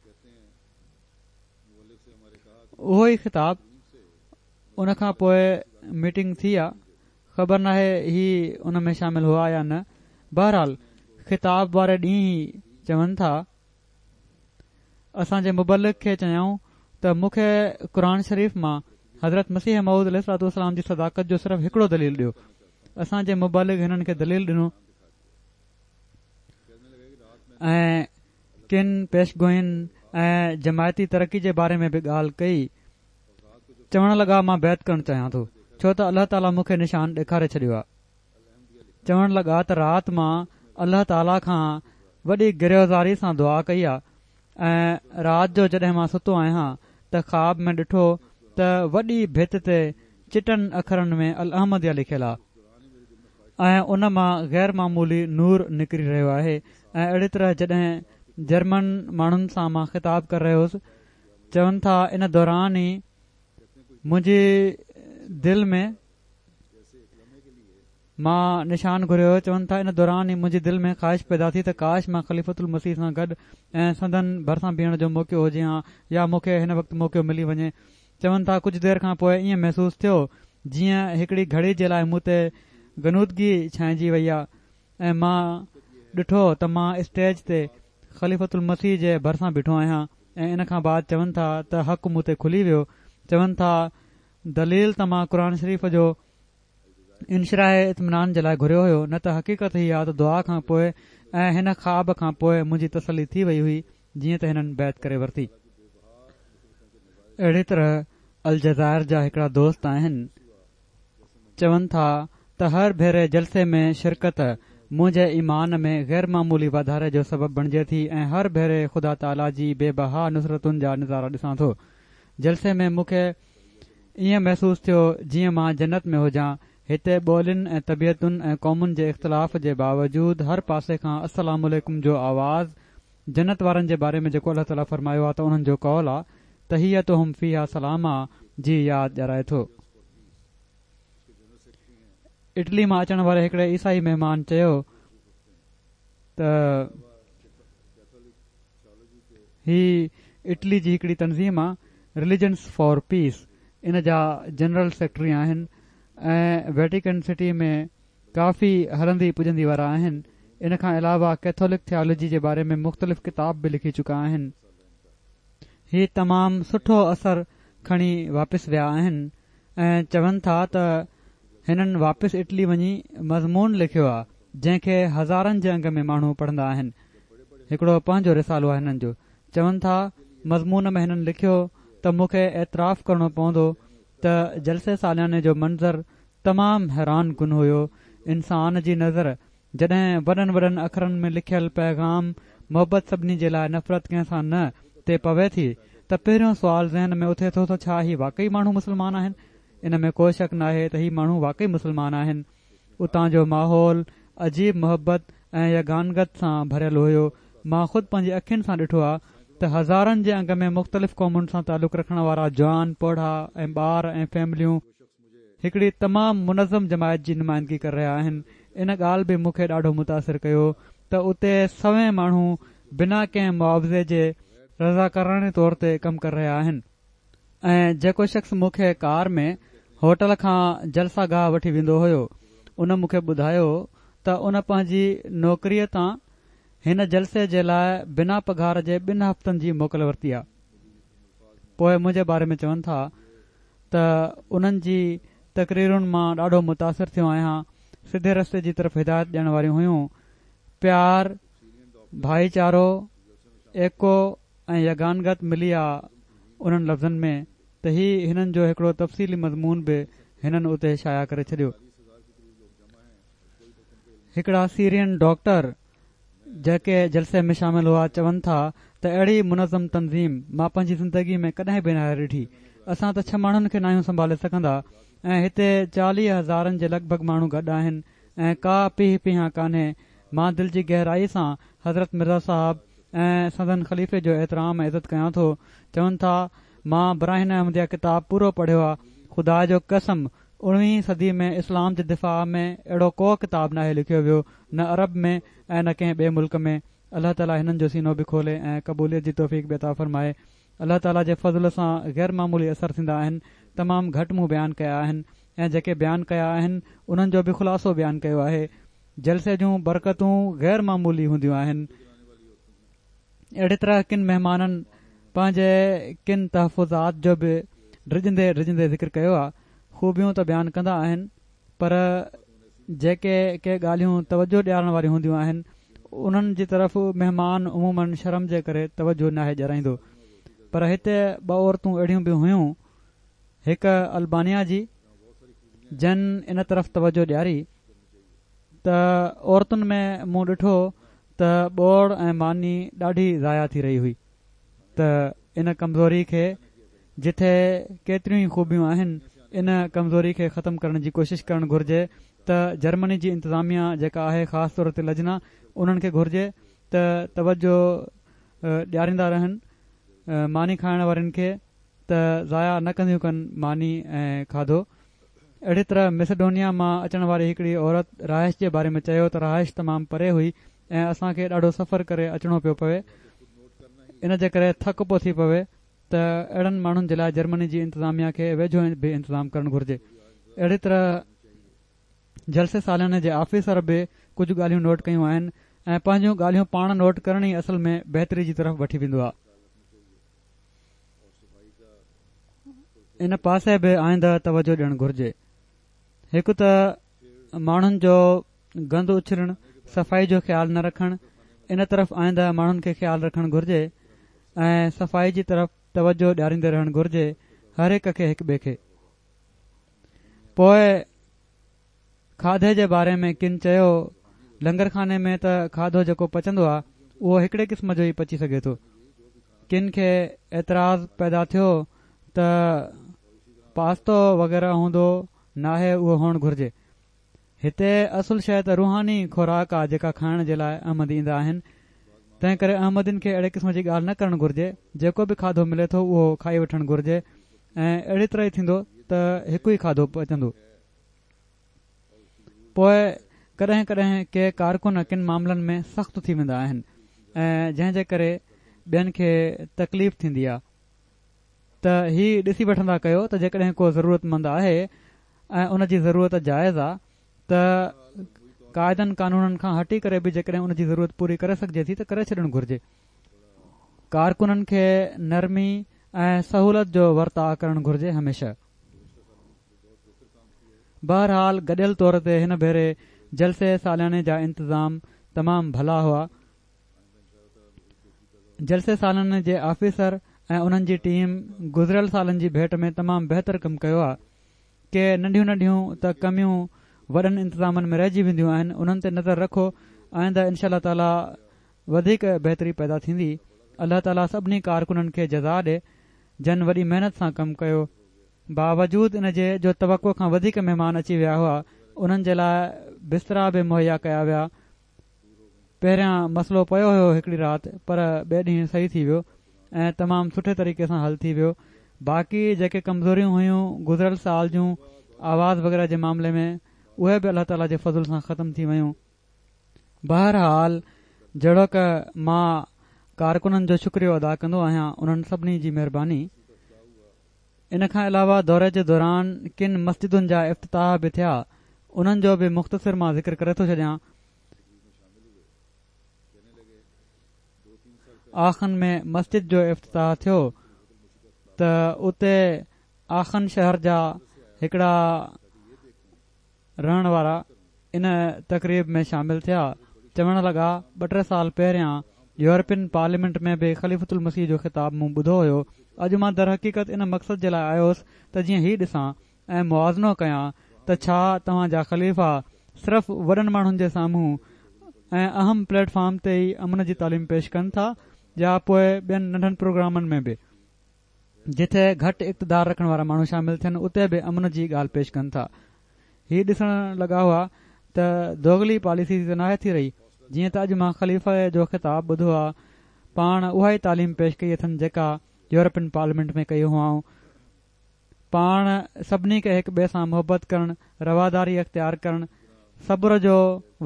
اهو ئي خطاب ان کان پوء ميٽنگ ٿي آ خبر ناهي هي ان ۾ شامل هئا يا نه. بهرحال خطاب واري ڏينهن هي چون ٿا، اسان جي مبلغ کي چيائون ته مون کي قرآن شريف مان حضرت مسيح موعود عليه الصلوة والسلام جي صداقت جو صرف هڪڙو دليل ڏيو. اسان جي مبلغ هنن کي دليل ڏنو ۽ ڪن پيشگوئين ۽ جماعتي ترقي جي باري ۾ به ڳالهه ڪئي. چوڻ لڳا مان بيعت ڪرڻ چاهيان ٿو ڇو ته الله تعالي مون کي نشان ڏيکاري ڇڏيو آهي. چوڻ لڳا ته رات مان الله تعاليٰ کان وڏي گريه و زاري سان دعا ڪئي آ ۽ رات جو جڏهن مان ستو آهيان ته خواب ۾ ڏٺو ته وڏي ڀت تي چٽن اکرن ۾ الاحمديه لکيل آ ۽ ان مان غير معمولي نور نڪري رهيو آهي ۽ اهڙي طرح جڏهن جرمن ماڻهن سان مان خطاب ڪري رهيو هوس چون ٿا ان دوران ئي منهنجي دل ۾ مان نشان گهريو هيو، چون ٿا ان دوران ئي منهنجي دل ۾ خواهش پيدا ٿي ته ڪاش مان خليفة المسيح سان گڏ ۽ سندن ڀرسان بيهڻ جو موقعو هجي هان يا مون کي هن وقت موقعو ملي وڃي. چون ٿا ڪجهه دير کان پوء ائين محسوس ٿيو جيئن هڪڙي گهڙي جي لاء مون تي غنودگي ڇانئجي وئي آ ۽ مان ڏٺو ته مان اسٽيج تي خليفة المسيح جي ڀرسان بيٺو آهيان ۽ ان کان بعد چون ٿا ته حق مون تي کلي ويو. چون ٿا دليل ته مان قرآن شريف جو انشراح اطمينان جي لاء گهريو هيو نه ته حقيقت هي آ ته دعا کان پوء ۽ هن خواب کان پوء منهنجي تسلي ٿي وئي هئي جيئن ته هنن بيعت ڪري ورتي. اهڙي طرح الجزائر جا هڪڙا دوست آهن چون ٿا ته هر ڀيري جلسي ۾ شرڪت منهنجي ايمان ۾ غير معمولي واڌاري جو سبب بڻجي ٿي ۽ هر ڀيري خدا تعاليٰ جي بي بها نصرتن جا نظارا ڏسان ٿو. جلسي ۾ مون کي ائين محسوس ٿيو جيئن مان جنت ۾ هجان. هتي ٻولين ۽ طبيعتن ۽ قومن جي اختلاف جي باوجود هر پاسي کان السلام عليڪم جو آواز جنت وارن جي باري ۾ جيڪو الله تعاليٰ فرمايو آ ته انهن جو قول آ تحيتهم فيها سلام آ جي ياد ڏيارائي ٿو. اٽلي مان اچڻ واري هڪڙي عيسائي مهمان چيو ته. هي اٽلي جي هڪڙي تنظيم آ رليجنس فار پيس ان جا جنرل سيڪريٽري آهن ۽ ويٽيڪن سٽي ۾ ڪافي هلندي پڄندي وارا آهن ان کان علاوه ڪيٿولڪ ٿيالوجي جي باري ۾ مختلف ڪتاب به لکي چڪا آهن. هي تمام سٺو اثر کڻي واپس ويا آهن ۽ چون ٿا ته هنن واپس اٽلي وڃي مضمون لکيو آ جنهن کي هزارن جي انگ ۾ ماڻهو پڙهندا آهن. هڪڙو پنهنجو رسالو آهي هنن جو. چون ٿا مضمون ۾ هنن لکيو ته مون کي اعتراف ڪرڻو پوندو ته جلسي سالياني جو منظر تمام حيران ڪن هيو. انسان جي نظر جڏهن وڏن وڏن اکرن ۾ لکيل پيغام محبت سڀني جي لاء نفرت ڪنهن سان نه تي پوي ٿي ته پهريون سوال ذهن ۾ اٿي ٿو ته ڇا هي واقعي ماڻهو مسلمان آهن؟ ان ۾ ڪو شڪ ناهي ته هي ماڻهو واقعي مسلمان آهن. اتان جو ماحول عجيب محبت ۽ يگانگت سان ڀريل هيو. مان خود پنهنجي اکين سان ڏٺو آ ته هزارن جي انگ ۾ مختلف قومن سان تعلق رکڻ وارا جوان، پوڙها ۽ ٻار ۽ فيمليون هڪڙي تمام منظم جماعت جي نمائندگي ڪري رهيا آهن. ان ڳالهه به مون کي ڏاڍو متاثر ڪيو ته اتي سوين ماڻهو بنا ڪنهن معاوضي جي رضاڪاراڻي طور تي ڪم ڪري رهيا آهن. ۽ جيڪو شخص مون کي ڪار ۾ هوٽل کان جلسه گاهه وٺي ويندو هيو ان مون کي ٻڌايو ته ان پنهنجي نوڪريء تان هن جلسي جي لاء بنا پگهار جي ٻن هفتن جي موڪل ورتي آ. پوء منهنجي باري ۾ چون ٿا ته انهن جي تقريرن مان ڏاڍو متاثر ٿيو آهيان سڌي رستي جي طرف هدايت ڏيڻ واريون هيون پيار ڀائيچارو ايڪو ۽ يگانگت ملي آ انهن لفظن ۾ ته هي هنن جو هڪڙو تفصيلي مضمون به هنن اتي شايع ڪري ڇڏيو. هڪڙا سيرين ڊاڪٽر جيڪي جلسي ۾ شامل هئا چون ٿا ته اهڙي منظم تنظيم مان پنهنجي زندگي ۾ ڪڏهن به ناهي ڏٺي اسان ته ڇهه ماڻهن کي ناهيون سنڀالي سگهندا ۽ هتي 40 هزارن جي لڳ ڀڳ ماڻهو گڏ آهن ۽ ڪا پيهه پيهان ڪانهي مان دل جي گهرائي سان حضرت مرزا صاحب ۽ سندن خليفي جو احترام ۽ عزت ڪيان ٿو. چون ٿا، مان براهين احمديه ڪتاب پورو پڙهيو آ، خدا جو قسم اڻويهين صدي ۾ اسلام جي دفاع ۾ اهڙو ڪو ڪتاب ناهي لکيو ويو نه عرب ۾ ۽ نه ڪنهن ٻئي ملڪ ۾. الله تعالي هنن جو سينو به کولي ۽ قبوليت جي توفيق به عطا فرمائي. الله تعالي جي فضل سان غير معمولي اثر ٿيندا آهن. تمام گهٽ مون بيان ڪيا آهن ۽ جيڪي بيان ڪيا آهن انهن جو به خلاصو بيان ڪيو آهي. جلسي جون برڪتون غير معمولي هونديون آهن. اهڙي طرح ڪن مهمانن پنهنجي ڪن تحفظات جو به ڊڄندي ڊڄندي ذڪر ڪيو آهي. خوبيون ته بيان ڪندا آهن پر جيڪي ڪي ڳالهيون توجهه ڏيارڻ واريون هونديون آهن انهن جي طرف مهمان عموماً شرم جي ڪري توجهه ناهي ڏيارائيندو. پر هتي ٻه عورتون اهڙيون به هيون هڪ البانيا جي جن ان طرف توجهه ڏياري. ته عورتن ۾ مون ڏٺو ته ٻوڙ ۽ ماني ڏاڍي ضايع ٿي رهي هئي ته ان ڪمزوري کي جٿي ڪيتريون ئي خوبيون آهن ان ڪمزوري کي ختم ڪرڻ جي ڪوشش ڪرڻ گهرجي ته جرمني جي انتظاميا جيڪا آهي خاص طور تي لجنا انهن کي گهرجي ته توجه ڏياريندا رهن ماني کائڻ وارين کي ته ضايع نه ڪنديون ڪن ماني ۽ کاڌو. اهڙي طرح ميسيڊونيا مان اچڻ واري هڪڙي عورت رهائش جي باري ۾ چيو ته رهائش تمام پري هئي ۽ اسان کي ڏاڍو سفر ڪري اچڻو پيو پوي ان جي ڪري ٿڪ پيو ٿي پوي ته اهڙن ماڻهن جي لاء جرمني جي انتظاميا کي ويجهو به انتظام ڪرڻ گهرجي. اهڙي طرح جلسي سالياني جي آفيسر به ڪجهه ڳالهيون نوٽ ڪيون آهن ۽ پنهنجون ڳالهيون پاڻ نوٽ ڪرڻ ئي اصل ۾ بهتري جي طرف وٺي ويندو آهي. ان پاسي به آئنده توجه ڏيڻ گهرجي. هڪ ته ماڻهن جو گند اڇلڻ، صفائي جو خيال نه رکڻ، ان طرف آئنده ماڻهن کي خيال رکڻ گهرجي ۽ صفائي جي طرف توجه ڏياريندي رهڻ گهرجي هر هڪ کي هڪ ٻئي کي. پوء کاڌي جي باري ۾ ڪن چيو، لنگر خاني ۾ ته کاڌو جيڪو پچندو آ، اهو هڪڙي قسم جو ئي پچي سگهي ٿو. ڪن کي اعتراض پيدا ٿيو ته پاستو وغيره هوندو ناهي اهو هئڻ گهرجي. هتي اصل شيء ته روحاني خوراڪ آ جيڪا کائڻ جي لاء احمدي ايندا آهن. تنهن ڪري احمدين کي اهڙي قسم جي ڳالهه نه ڪرڻ گهرجي. جيڪو به کاڌو ملي ٿو اهو کائي وٺڻ گهرجي ۽ اهڙي طرح ئي ٿيندو ته هڪ ئي کاڌو پچندو. پوء ڪڏهن ڪڏهن ڪي ڪارڪن ڪن معاملن ۾ سخت ٿي ويندا آهن ۽ جنهن جي ڪري ٻين کي تڪليف ٿيندي آ ته هي ڏسي وٺندا ڪيو ته جيڪڏهن ڪو ضرورت مند آهي ۽ ان جي ضرورت جائز آ ته قاعدن قانونن کان هٽي ڪري به جيڪڏهن ان جي ضرورت پوري ڪري سگهجي ٿي ته ڪري ڇڏڻ گهرجي. ڪارڪنن کي نرمي ۽ سهولت جو ورتاء ڪرڻ گهرجي هميشه. بهرحال گڏيل طور تي هن ڀيري جلسي سالياني جا انتظام تمام ڀلا هئا. جلسي سالياني جي آفيسر ۽ انهن جي ٽيم گذريل سالن جي ڀيٽ ۾ تمام بهتر ڪم ڪيو آهي. ڪي ننڍيون ننڍيون ته ڪميون وڏن انتظامن ۾ رهجي وينديون آهن انهن تي نظر رکو آئنده انشاء الله تعالي وڌيڪ بهتري پيدا ٿيندي. الله تعالي سڀني ڪارڪنن کي جزا ڏي جن وڏي محنت سان ڪم ڪيو. باوجود ان جي جو توقع کان وڌيڪ مهمان اچي ويا هئا انهن جي لاء بسترا به مهيا ڪيا ويا. پهريان مسئلو پيو هيو هڪڙي رات پر ٻئي ڏينهن صحيح ٿي ويو ۽ تمام سٺي طريقي سان حل ٿي ويو. باقي جيڪي ڪمزوريون هيون گذريل سال جون آواز وغيره جي معاملي ۾ اهي به الله تعالي جي فضل سان ختم ٿي ويون. بهرحال جهڙوڪ مان ڪارڪنن جو شڪريو ادا ڪندو آهيان انهن سڀني جي مهرباني. ان کان علاوه دوري جي دوران ڪن مسجدن جا افتتاح به ٿيا انهن جو به مختصر مان ذڪر ڪري ٿو ڇڏيان. آخن ۾ مسجد جو افتتاح ٿيو ته اتي آخن شهر جا هڪڙا رهڻ وارا ان تقريب ۾ شامل ٿيا، چوڻ لڳا، ٻه ٽي سال پهريان يورپين پارليامينٽ ۾ به خليفة المسيح جو خطاب مون ٻڌو هيو، اڄ مان درحقيقت ان مقصد جي لاء آيو هوس ته جيئن هي ڏسان ۽ موازنو ڪيان ته ڇا توهان جا خليفا صرف وڏن ماڻهن جي سامهون ۽ اهم پليٽ فارم تي ئي امن جي تعليم پيش ڪن ٿا يا پوء ٻين ننڍن پروگرامن ۾ به. جتي گهٽ اقتدار رکڻ وارا ماڻهو شامل ٿين اتي به امن جي ڳالهه پيش ڪن ٿا. هي ڏسڻ لڳا هئا ته دوغلي پاليسي ته ناهي ٿي رهي. جيئن ته اڄ مان خليفي جو خطاب ٻڌو آ پاڻ اها ئي تعليم پيش ڪئي اٿن جيڪا يورپين پارليامينٽ ۾ ڪئي هئائون. پاڻ سڀني کي هڪ ٻئي سان محبت ڪرڻ، رواداري اختيار ڪرڻ، صبر جو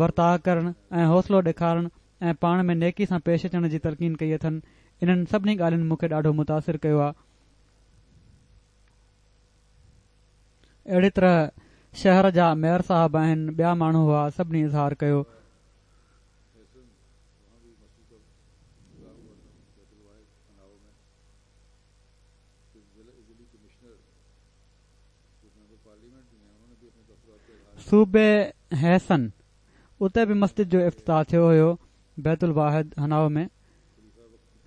ورتاء ڪرڻ ۽ حوصلو ڏيکارڻ ۽ پاڻ ۾ نيڪي سان پيش اچڻ جي تلقين ڪئي اٿن. انهن سڀني ڳالهين مون کي ڏاڍو متاثر ڪيو آ. اهڙي طرح شهر جا ميئر صاحب آهن، ٻيا ماڻهو هئا، سڀني اظهار ڪيو. صوبي هيسن اتي به مسجد جو افتتاح ٿيو هيو بيت الواحد هنائو ۾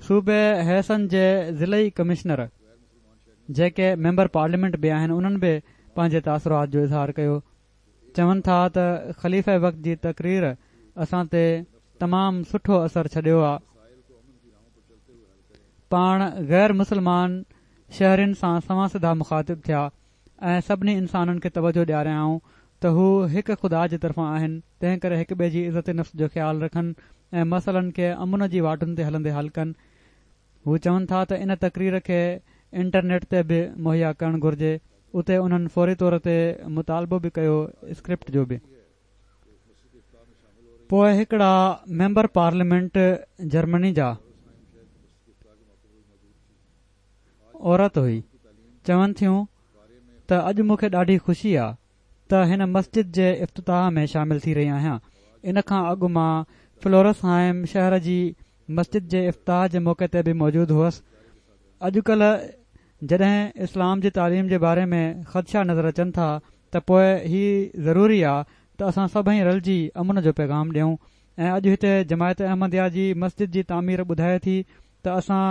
صوبي هيسن جي ضلعي ڪمشنر جيڪي ميمبر پارليامينٽ به آهن انهن به پنهنجي تاثرات جو اظهار ڪيو. چون ٿا ته خليفه وقت جي تقرير اسان تي تمام سٺو اثر ڇڏيو آ. پاڻ غير مسلمان شهرين سان سنوان سڌا مخاطب ٿيا ۽ سڀني انسانن کي توجهه ڏياريائون ته هو هڪ خدا جي طرفان آهن تنهن ڪري هڪ ٻئي جي عزت نفس جو خيال رکن ۽ مسئلن کي امن جي واٽن تي هلندي حل ڪن. هو چون ٿا ته ان تقرير کي انٽرنيٽ تي به مهيا ڪرڻ گهرجي اتي انهن فوري طور تي مطالبو به ڪيو اسڪرپٽ جو به. پوء هڪڙا ميمبر پارليامينٽ جرمني جا عورت هئي چون ٿيون ته اڄ مون کي ڏاڍي خوشي آ ته هن مسجد جي افتتاح ۾ شامل ٿي رهي آهيان ان کان اڳ مان فلورس هائم شهر جي مسجد جي افتتاح جي موقعي تي به موجود هئس اڄڪلهه جڏهن اسلام جي تعليم جي باري ۾ خدشا نظر اچن ٿا ته پوء هي ضروري آ ته اسان سڀئي رلجي امن جو پيغام ڏيون ۽ اڄ هتي جماعت احمديه جي مسجد جي تعمير ٻڌائي ٿي ته اسان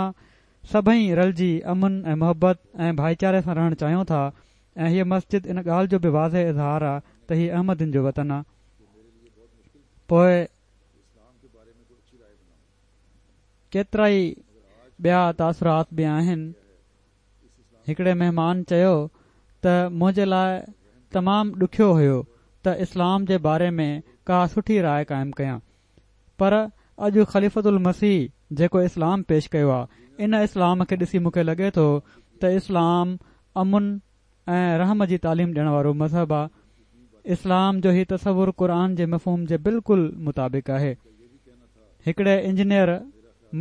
سڀئي رلجي امن ۽ محبت ۽ ڀائيچاري سان رهڻ چاهيون ٿا ۽ هيء مسجد ان ڳالهه جو به واضح اظهار آ ته هي احمدين جو وطن آ. پوء ڪيترائي ٻيا تاثرات به آهن. هڪڙي مهمان چيو ته منهنجي لاء تمام ڏکيو هيو ته اسلام جي باري ۾ ڪا سٺي راء قائم ڪيان پر اڄ خليفة المسيح جيڪو اسلام پيش ڪيو آ ان اسلام کي ڏسي مون کي لڳي ٿو ته اسلام امن ۽ رحم جي تعليم ڏيڻ وارو مذهب آ. اسلام جو هي تصور قرآن جي مفهوم جي بلڪل مطابق آهي. هڪڙي انجنيئر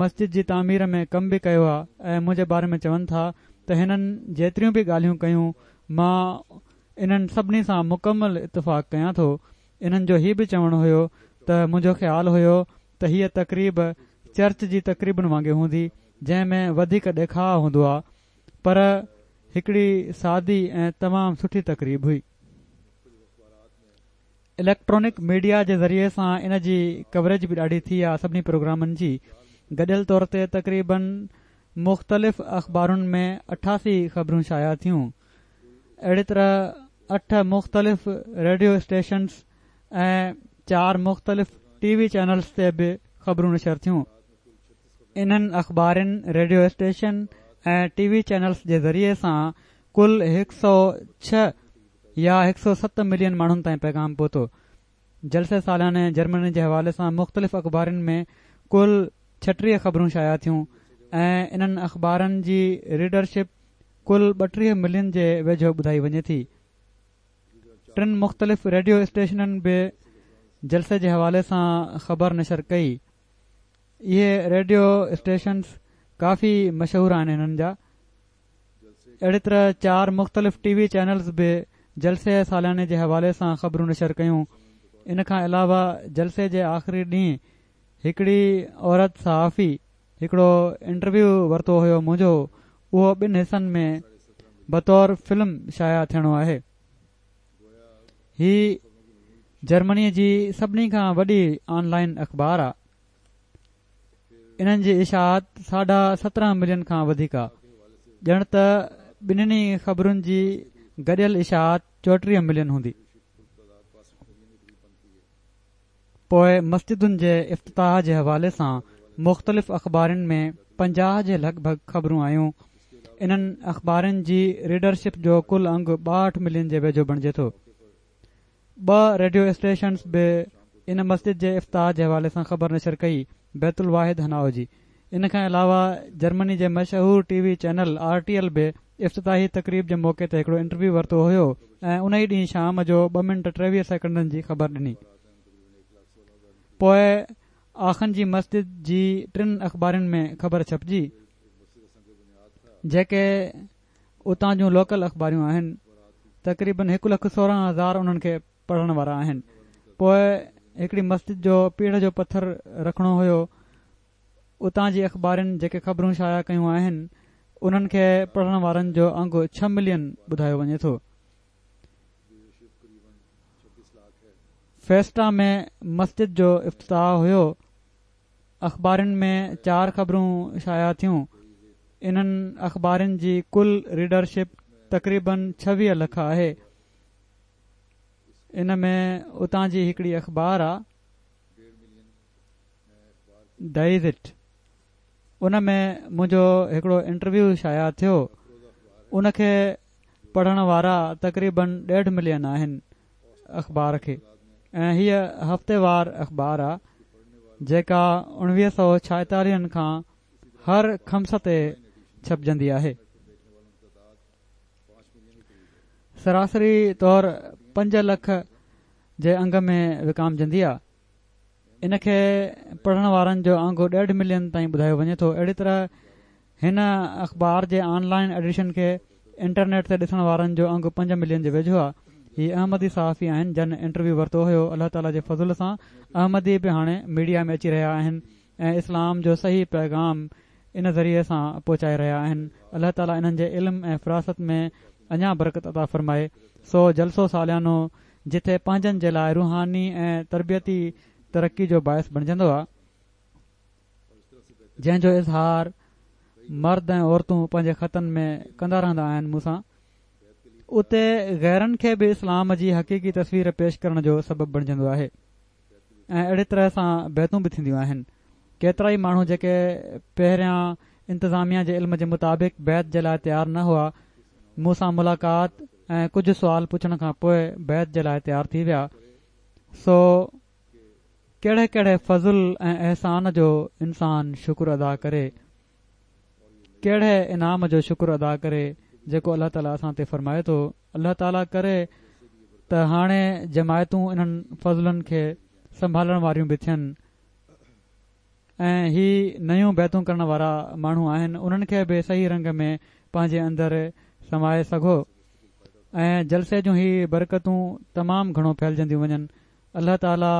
مسجد جي تعمير ۾ ڪم به ڪيو آ ۽ منهنجي باري ۾ چون ٿا ته هنن جيتريون به ڳالهيون ڪيون مان انهن سڀني سان مڪمل اتفاق ڪيان ٿو. انهن جو هي به چوڻ هيو ته منهنجو خيال هيو ته هيء تقريب چرچ جي تقريبن وانگي هوندي جنهن ۾ وڌيڪ ڏيکاء هوندو آ پر هڪڙي سادي ۽ تمام سٺي تقريب هئي. اليڪٽرانڪ ميڊيا جي ذريعي سان ان جي ڪوريج به ڏاڍي ٿي آ سڀني پروگرامن جي گڏيل طور تي تقريبن مختلف اخبارن ۾ 88 خبرون شايع ٿيون اهڙي طرح اٺ مختلف ريڊيو اسٽيشنز ۽ چار مختلف ٽي وي چينلز تي به خبرون نشر ٿيون. انهن اخبارن، ريڊيو اسٽيشن ۽ ٽي وي چينلز جي ذريعي سان ڪل 106 يا 107 ملين ماڻهن تائين پيغام پهتو. جلسي سالياني جرمني جي حوالي سان مختلف اخبارن ۾ ڪل 36 خبرون شايع ٿيون ۽ انهن اخبارن جي ريڊر شپ ڪل 32 ملين جي ويجهو ٻڌائي وڃي ٿي. ٽن مختلف ريڊيو اسٽيشنن به جلسي جي حوالي سان خبر نشر ڪئي. اهي ريڊيو اسٽيشنز ڪافي مشهور آهن هنن جا اهڙي طرح چار مختلف ٽي وي چينلز به جلسي سالياني جي حوالي سان خبرون نشر ڪيون ان کان علاوه جلسي جي آخري ڏينهن هڪڙي عورت صحافي هڪڙو انٽرويو ورتو هيو منهنجو اهو ٻن حصن ۾ بطور فلم شايع ٿيڻو آهي هي جرمني جي سڀني کان وڏي آن لائن اخبار آ. انهن جي اشاعت ساڍا 17 ملين کان وڌيڪ آ. ڄڻ ته ٻنهي خبرن جي گڏيل اشاعت 34 ملين هوندي. پوء مسجدن جي افتتاح جي حوالي سان مختلف اخبارن ۾ 50 جي لڳ ڀڳ خبرون آيون. انهن اخبارن جي ريڊر شپ جو ڪل انگ 62 ملين جي ويجهو بڻجي ٿو. ٻه ريڊيو اسٽيشنز به ان مسجد جي افتتاح جي حوالي سان خبر نشر ڪئي، بيت الواحد هنائو جي. ان کان علاوه جرمني جي مشهور T V channel R T L به افتتاحي تقريب جي موقعي تي هڪڙو انٽرويو ورتو هيو ۽ ان ئي ڏينهن شام جو ٻه منٽ 23 سيڪنڊن جي خبر ڏني. پوء آخن جي مسجد جي ٽن اخبارن ۾ خبر ڇپجي جيڪي اتان جون لوڪل اخباريون آهن تقريبن هڪ لک 16 هزار انهن کي پڙهڻ وارا آهن. پوء هڪڙي مسجد جو پيڙهه جو پٿر رکڻو هيو اتان جي اخبارن جيڪي خبرون شايع ڪيون آهن انهن کي پڙهڻ وارن جو انگ ڇهه ملين ٻڌايو وڃي ٿو. فيسٽا ۾ مسجد جو افتتاح هيو اخبارن ۾ چار خبرون شايع ٿيون انهن اخبارن جي ڪل ريڊر شپ تقريبن 26 لک آهي. ان ۾ اتان جي هڪڙي اخبار آ ڊائيزٽ ان ۾ منهنجو هڪڙو انٽرويو شايع ٿيو ان کي پڙهڻ وارا تقريبن ڏيڍ ملين آهن اخبار کي ۽ هيء هفتيوار اخبار آ جيڪا اڻويهه سو ڇائيتاليهن کان هر خميس تي ڇپجندي آهي. سراسري طور پنج لک جي انگ ۾ وڪامجندي آ. ان کي پڙهڻ وارن جو انگ ڏيڍ ملين تائين ٻڌايو وڃي ٿو. اهڙي طرح هن اخبار جي آن لائين ايڊيشن کي انٽرنيٽ تي ڏسڻ وارن جو انگ پنج ملين جي ويجهو آ. هي احمدي صحافي آهن جن انٽرويو ورتو هيو. الله تعالي جي فضل سان احمدي به هاڻي ميڊيا ۾ اچي رهيا آهن. ۽ اسلام جو صحيح پيغام ان ذريعي سان پهچائي رهيا آهن الله تعالي انهن جي علم ۽ فراست ۾ اڃا برڪت عطا فرمائي سو جلسو ساليانو جتي پنهنجن جي لاء روحاني ۽ تربيتي ترقي جو باعث بڻجندو آهي جنهن جو اظهار مرد ۽ عورتون پنهنجي خطن ۾ ڪندا رهندا آهن مون سان اتي غيرن کي به اسلام جي حقيقي تصوير پيش ڪرڻ جو سبب بڻجندو آهي. ۽ اهڙي طرح سان بيعتون به ٿينديون آهن. ڪيترائي ماڻهو جيڪي پهريان انتظاميا جي علم جي مطابق بيعت جي لاء تيار نه هئا، مون سان ملاقات ۽ ڪجهه سوال پڇڻ کان پوء بيعت جي لاء تيار ٿي ويا. سو ڪهڙي ڪهڙي فضل ۽ احسان جو انسان شڪر ادا ڪري. ڪهڙي انعام جو شڪر ادا ڪري جيڪو الله تعالي اسان تي فرمائي ٿو. الله تعالي ڪري ته هاڻي جماعتون انهن فضلن کي سنڀالڻ واريون به ٿين ۽ هي نيون بيعتون ڪرڻ وارا ماڻهو آهن انهن کي به صحيح رنگ ۾ پنهنجي اندر سمائي سگهو ۽ جلسي جون هي برڪتون تمام گهڻو ڦهلجنديون وڃن. الله تعالي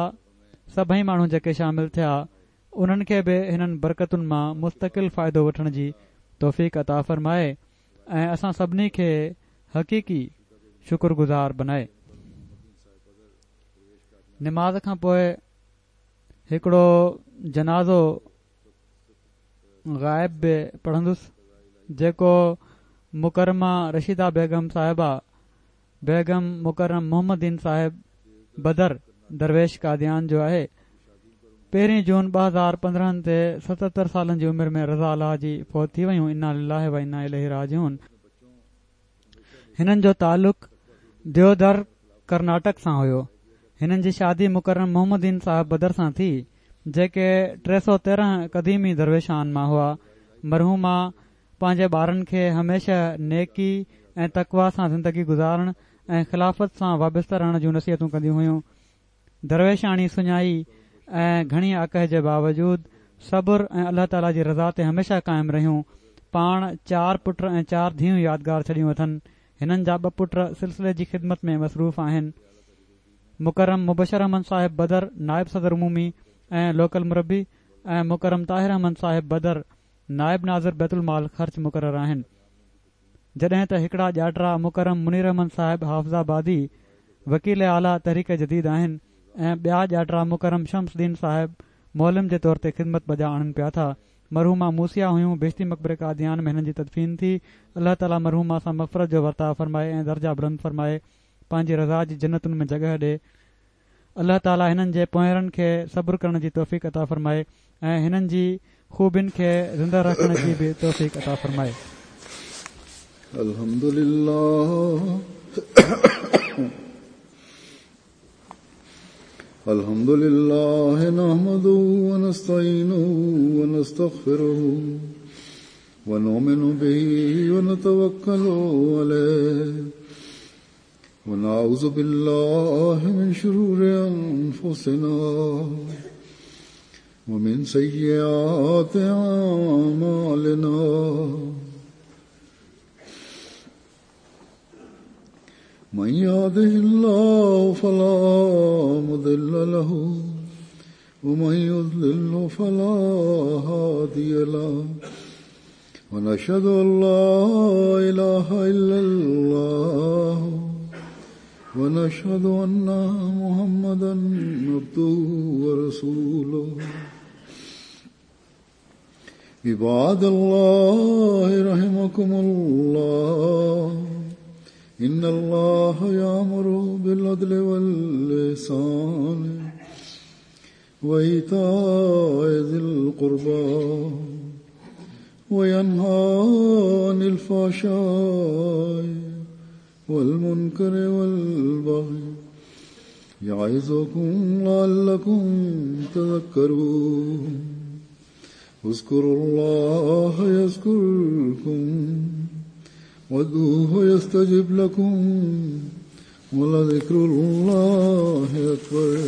سڀئي ماڻهو جيڪي شامل ٿيا انهن کي به هنن برڪتن مان مستقل فائدو وٺڻ جي توفيق عطا فرمائي ۽ اسان سڀني کي حقيقي شڪر گذار بنائي. نماز کان پوء هڪڙو جنازو غائب به پڙهندس جيڪو مڪرمه رشيده بيگم صاحبه بيگم مڪرم محمد دين صاحب بدر درويش قاديان جو آهي. پهرين جون 2015 تي 77 سالن جي عمر ۾ رضا الله جي فوت ٿي ويون انا لله و انا اليه راجعون. هنن جو تعلق ديودر ڪرناٽڪ سان هيو. هنن جي شادي مڪرم محمد دين صاحب بدر سان ٿي جيڪي 313 قديمي درويشان مان هئا. مرحومه پنهنجي ٻارن کي هميشه نيڪي ۽ تقويٰ سان زندگي گذارڻ ۽ خلافت سان وابسته رهڻ جون نصيحتون ڪنديون هيون. درويشاڻي سڃائي ۽ گهڻي آڪهه جي باوجود صبر ۽ الله تعاليٰ جي رضا تي هميشه قائم رهيون. پاڻ چار پٽ ۽ چار ڌيئون يادگار ڇڏيون اٿن. هنن جا ٻه پٽ سلسلي جي خدمت ۾ مصروف آهن. مڪرم مبشر احمد صاحب بدر نائب صدر عمومي ۽ لوڪل مربي ۽ مڪرم طاهر احمد صاحب بدر نائب ناظر بيت المال خرچ مقرر آهن. جڏهن ته هڪڙا ڄاٽرا مڪرم منير احمد صاحب حافظ آبادي وڪيل اعليٰ تحريڪ جديد آهن ۽ ٻيا ڄاٽرا مڪرم شمس الدين صاحب معلم جي طور تي خدمت بجا آڻن پيا ٿا. مرحومه موصيه هيون بهشتي مقبري قاديان ۾ هنن جي تدفين ٿي. الله تعاليٰ مرحومه سان مغفرت جو ورتاء فرمائي ۽ درجا بلند فرمائي پنهنجي رضا جي جنتن ۾ جڳهه ڏي. الله تعالي هنن جي پونئيرن کي صبر ڪرڻ جي توفيق عطا فرمائي ۽ هنن جي خوبين کي زنده رکڻ جي به توفيق عطا فرمائي. الحمد لله الحمد لله نحمده ونستعينه ونستغفره ونؤمن به ونتوكل عليه ونعوذ بالله من شرور أنفسنا ومن سيئات أعمالنا من يهده الله فلا مضل له ومن يضلل فلا هادي له ونشهد أن لا إله إلا الله ونشهد أن محمدا عبده ورسوله عباد الله رحمكم الله إن الله يأمر بالعدل والإحسان وإيتاء ذي القربى وينهى عن الفحشاء والمنكر والبغي يعظكم لعلكم تذكرون. اذكروا الله يذكركم وادعوه يستجب لكم ولذكر الله أكبر.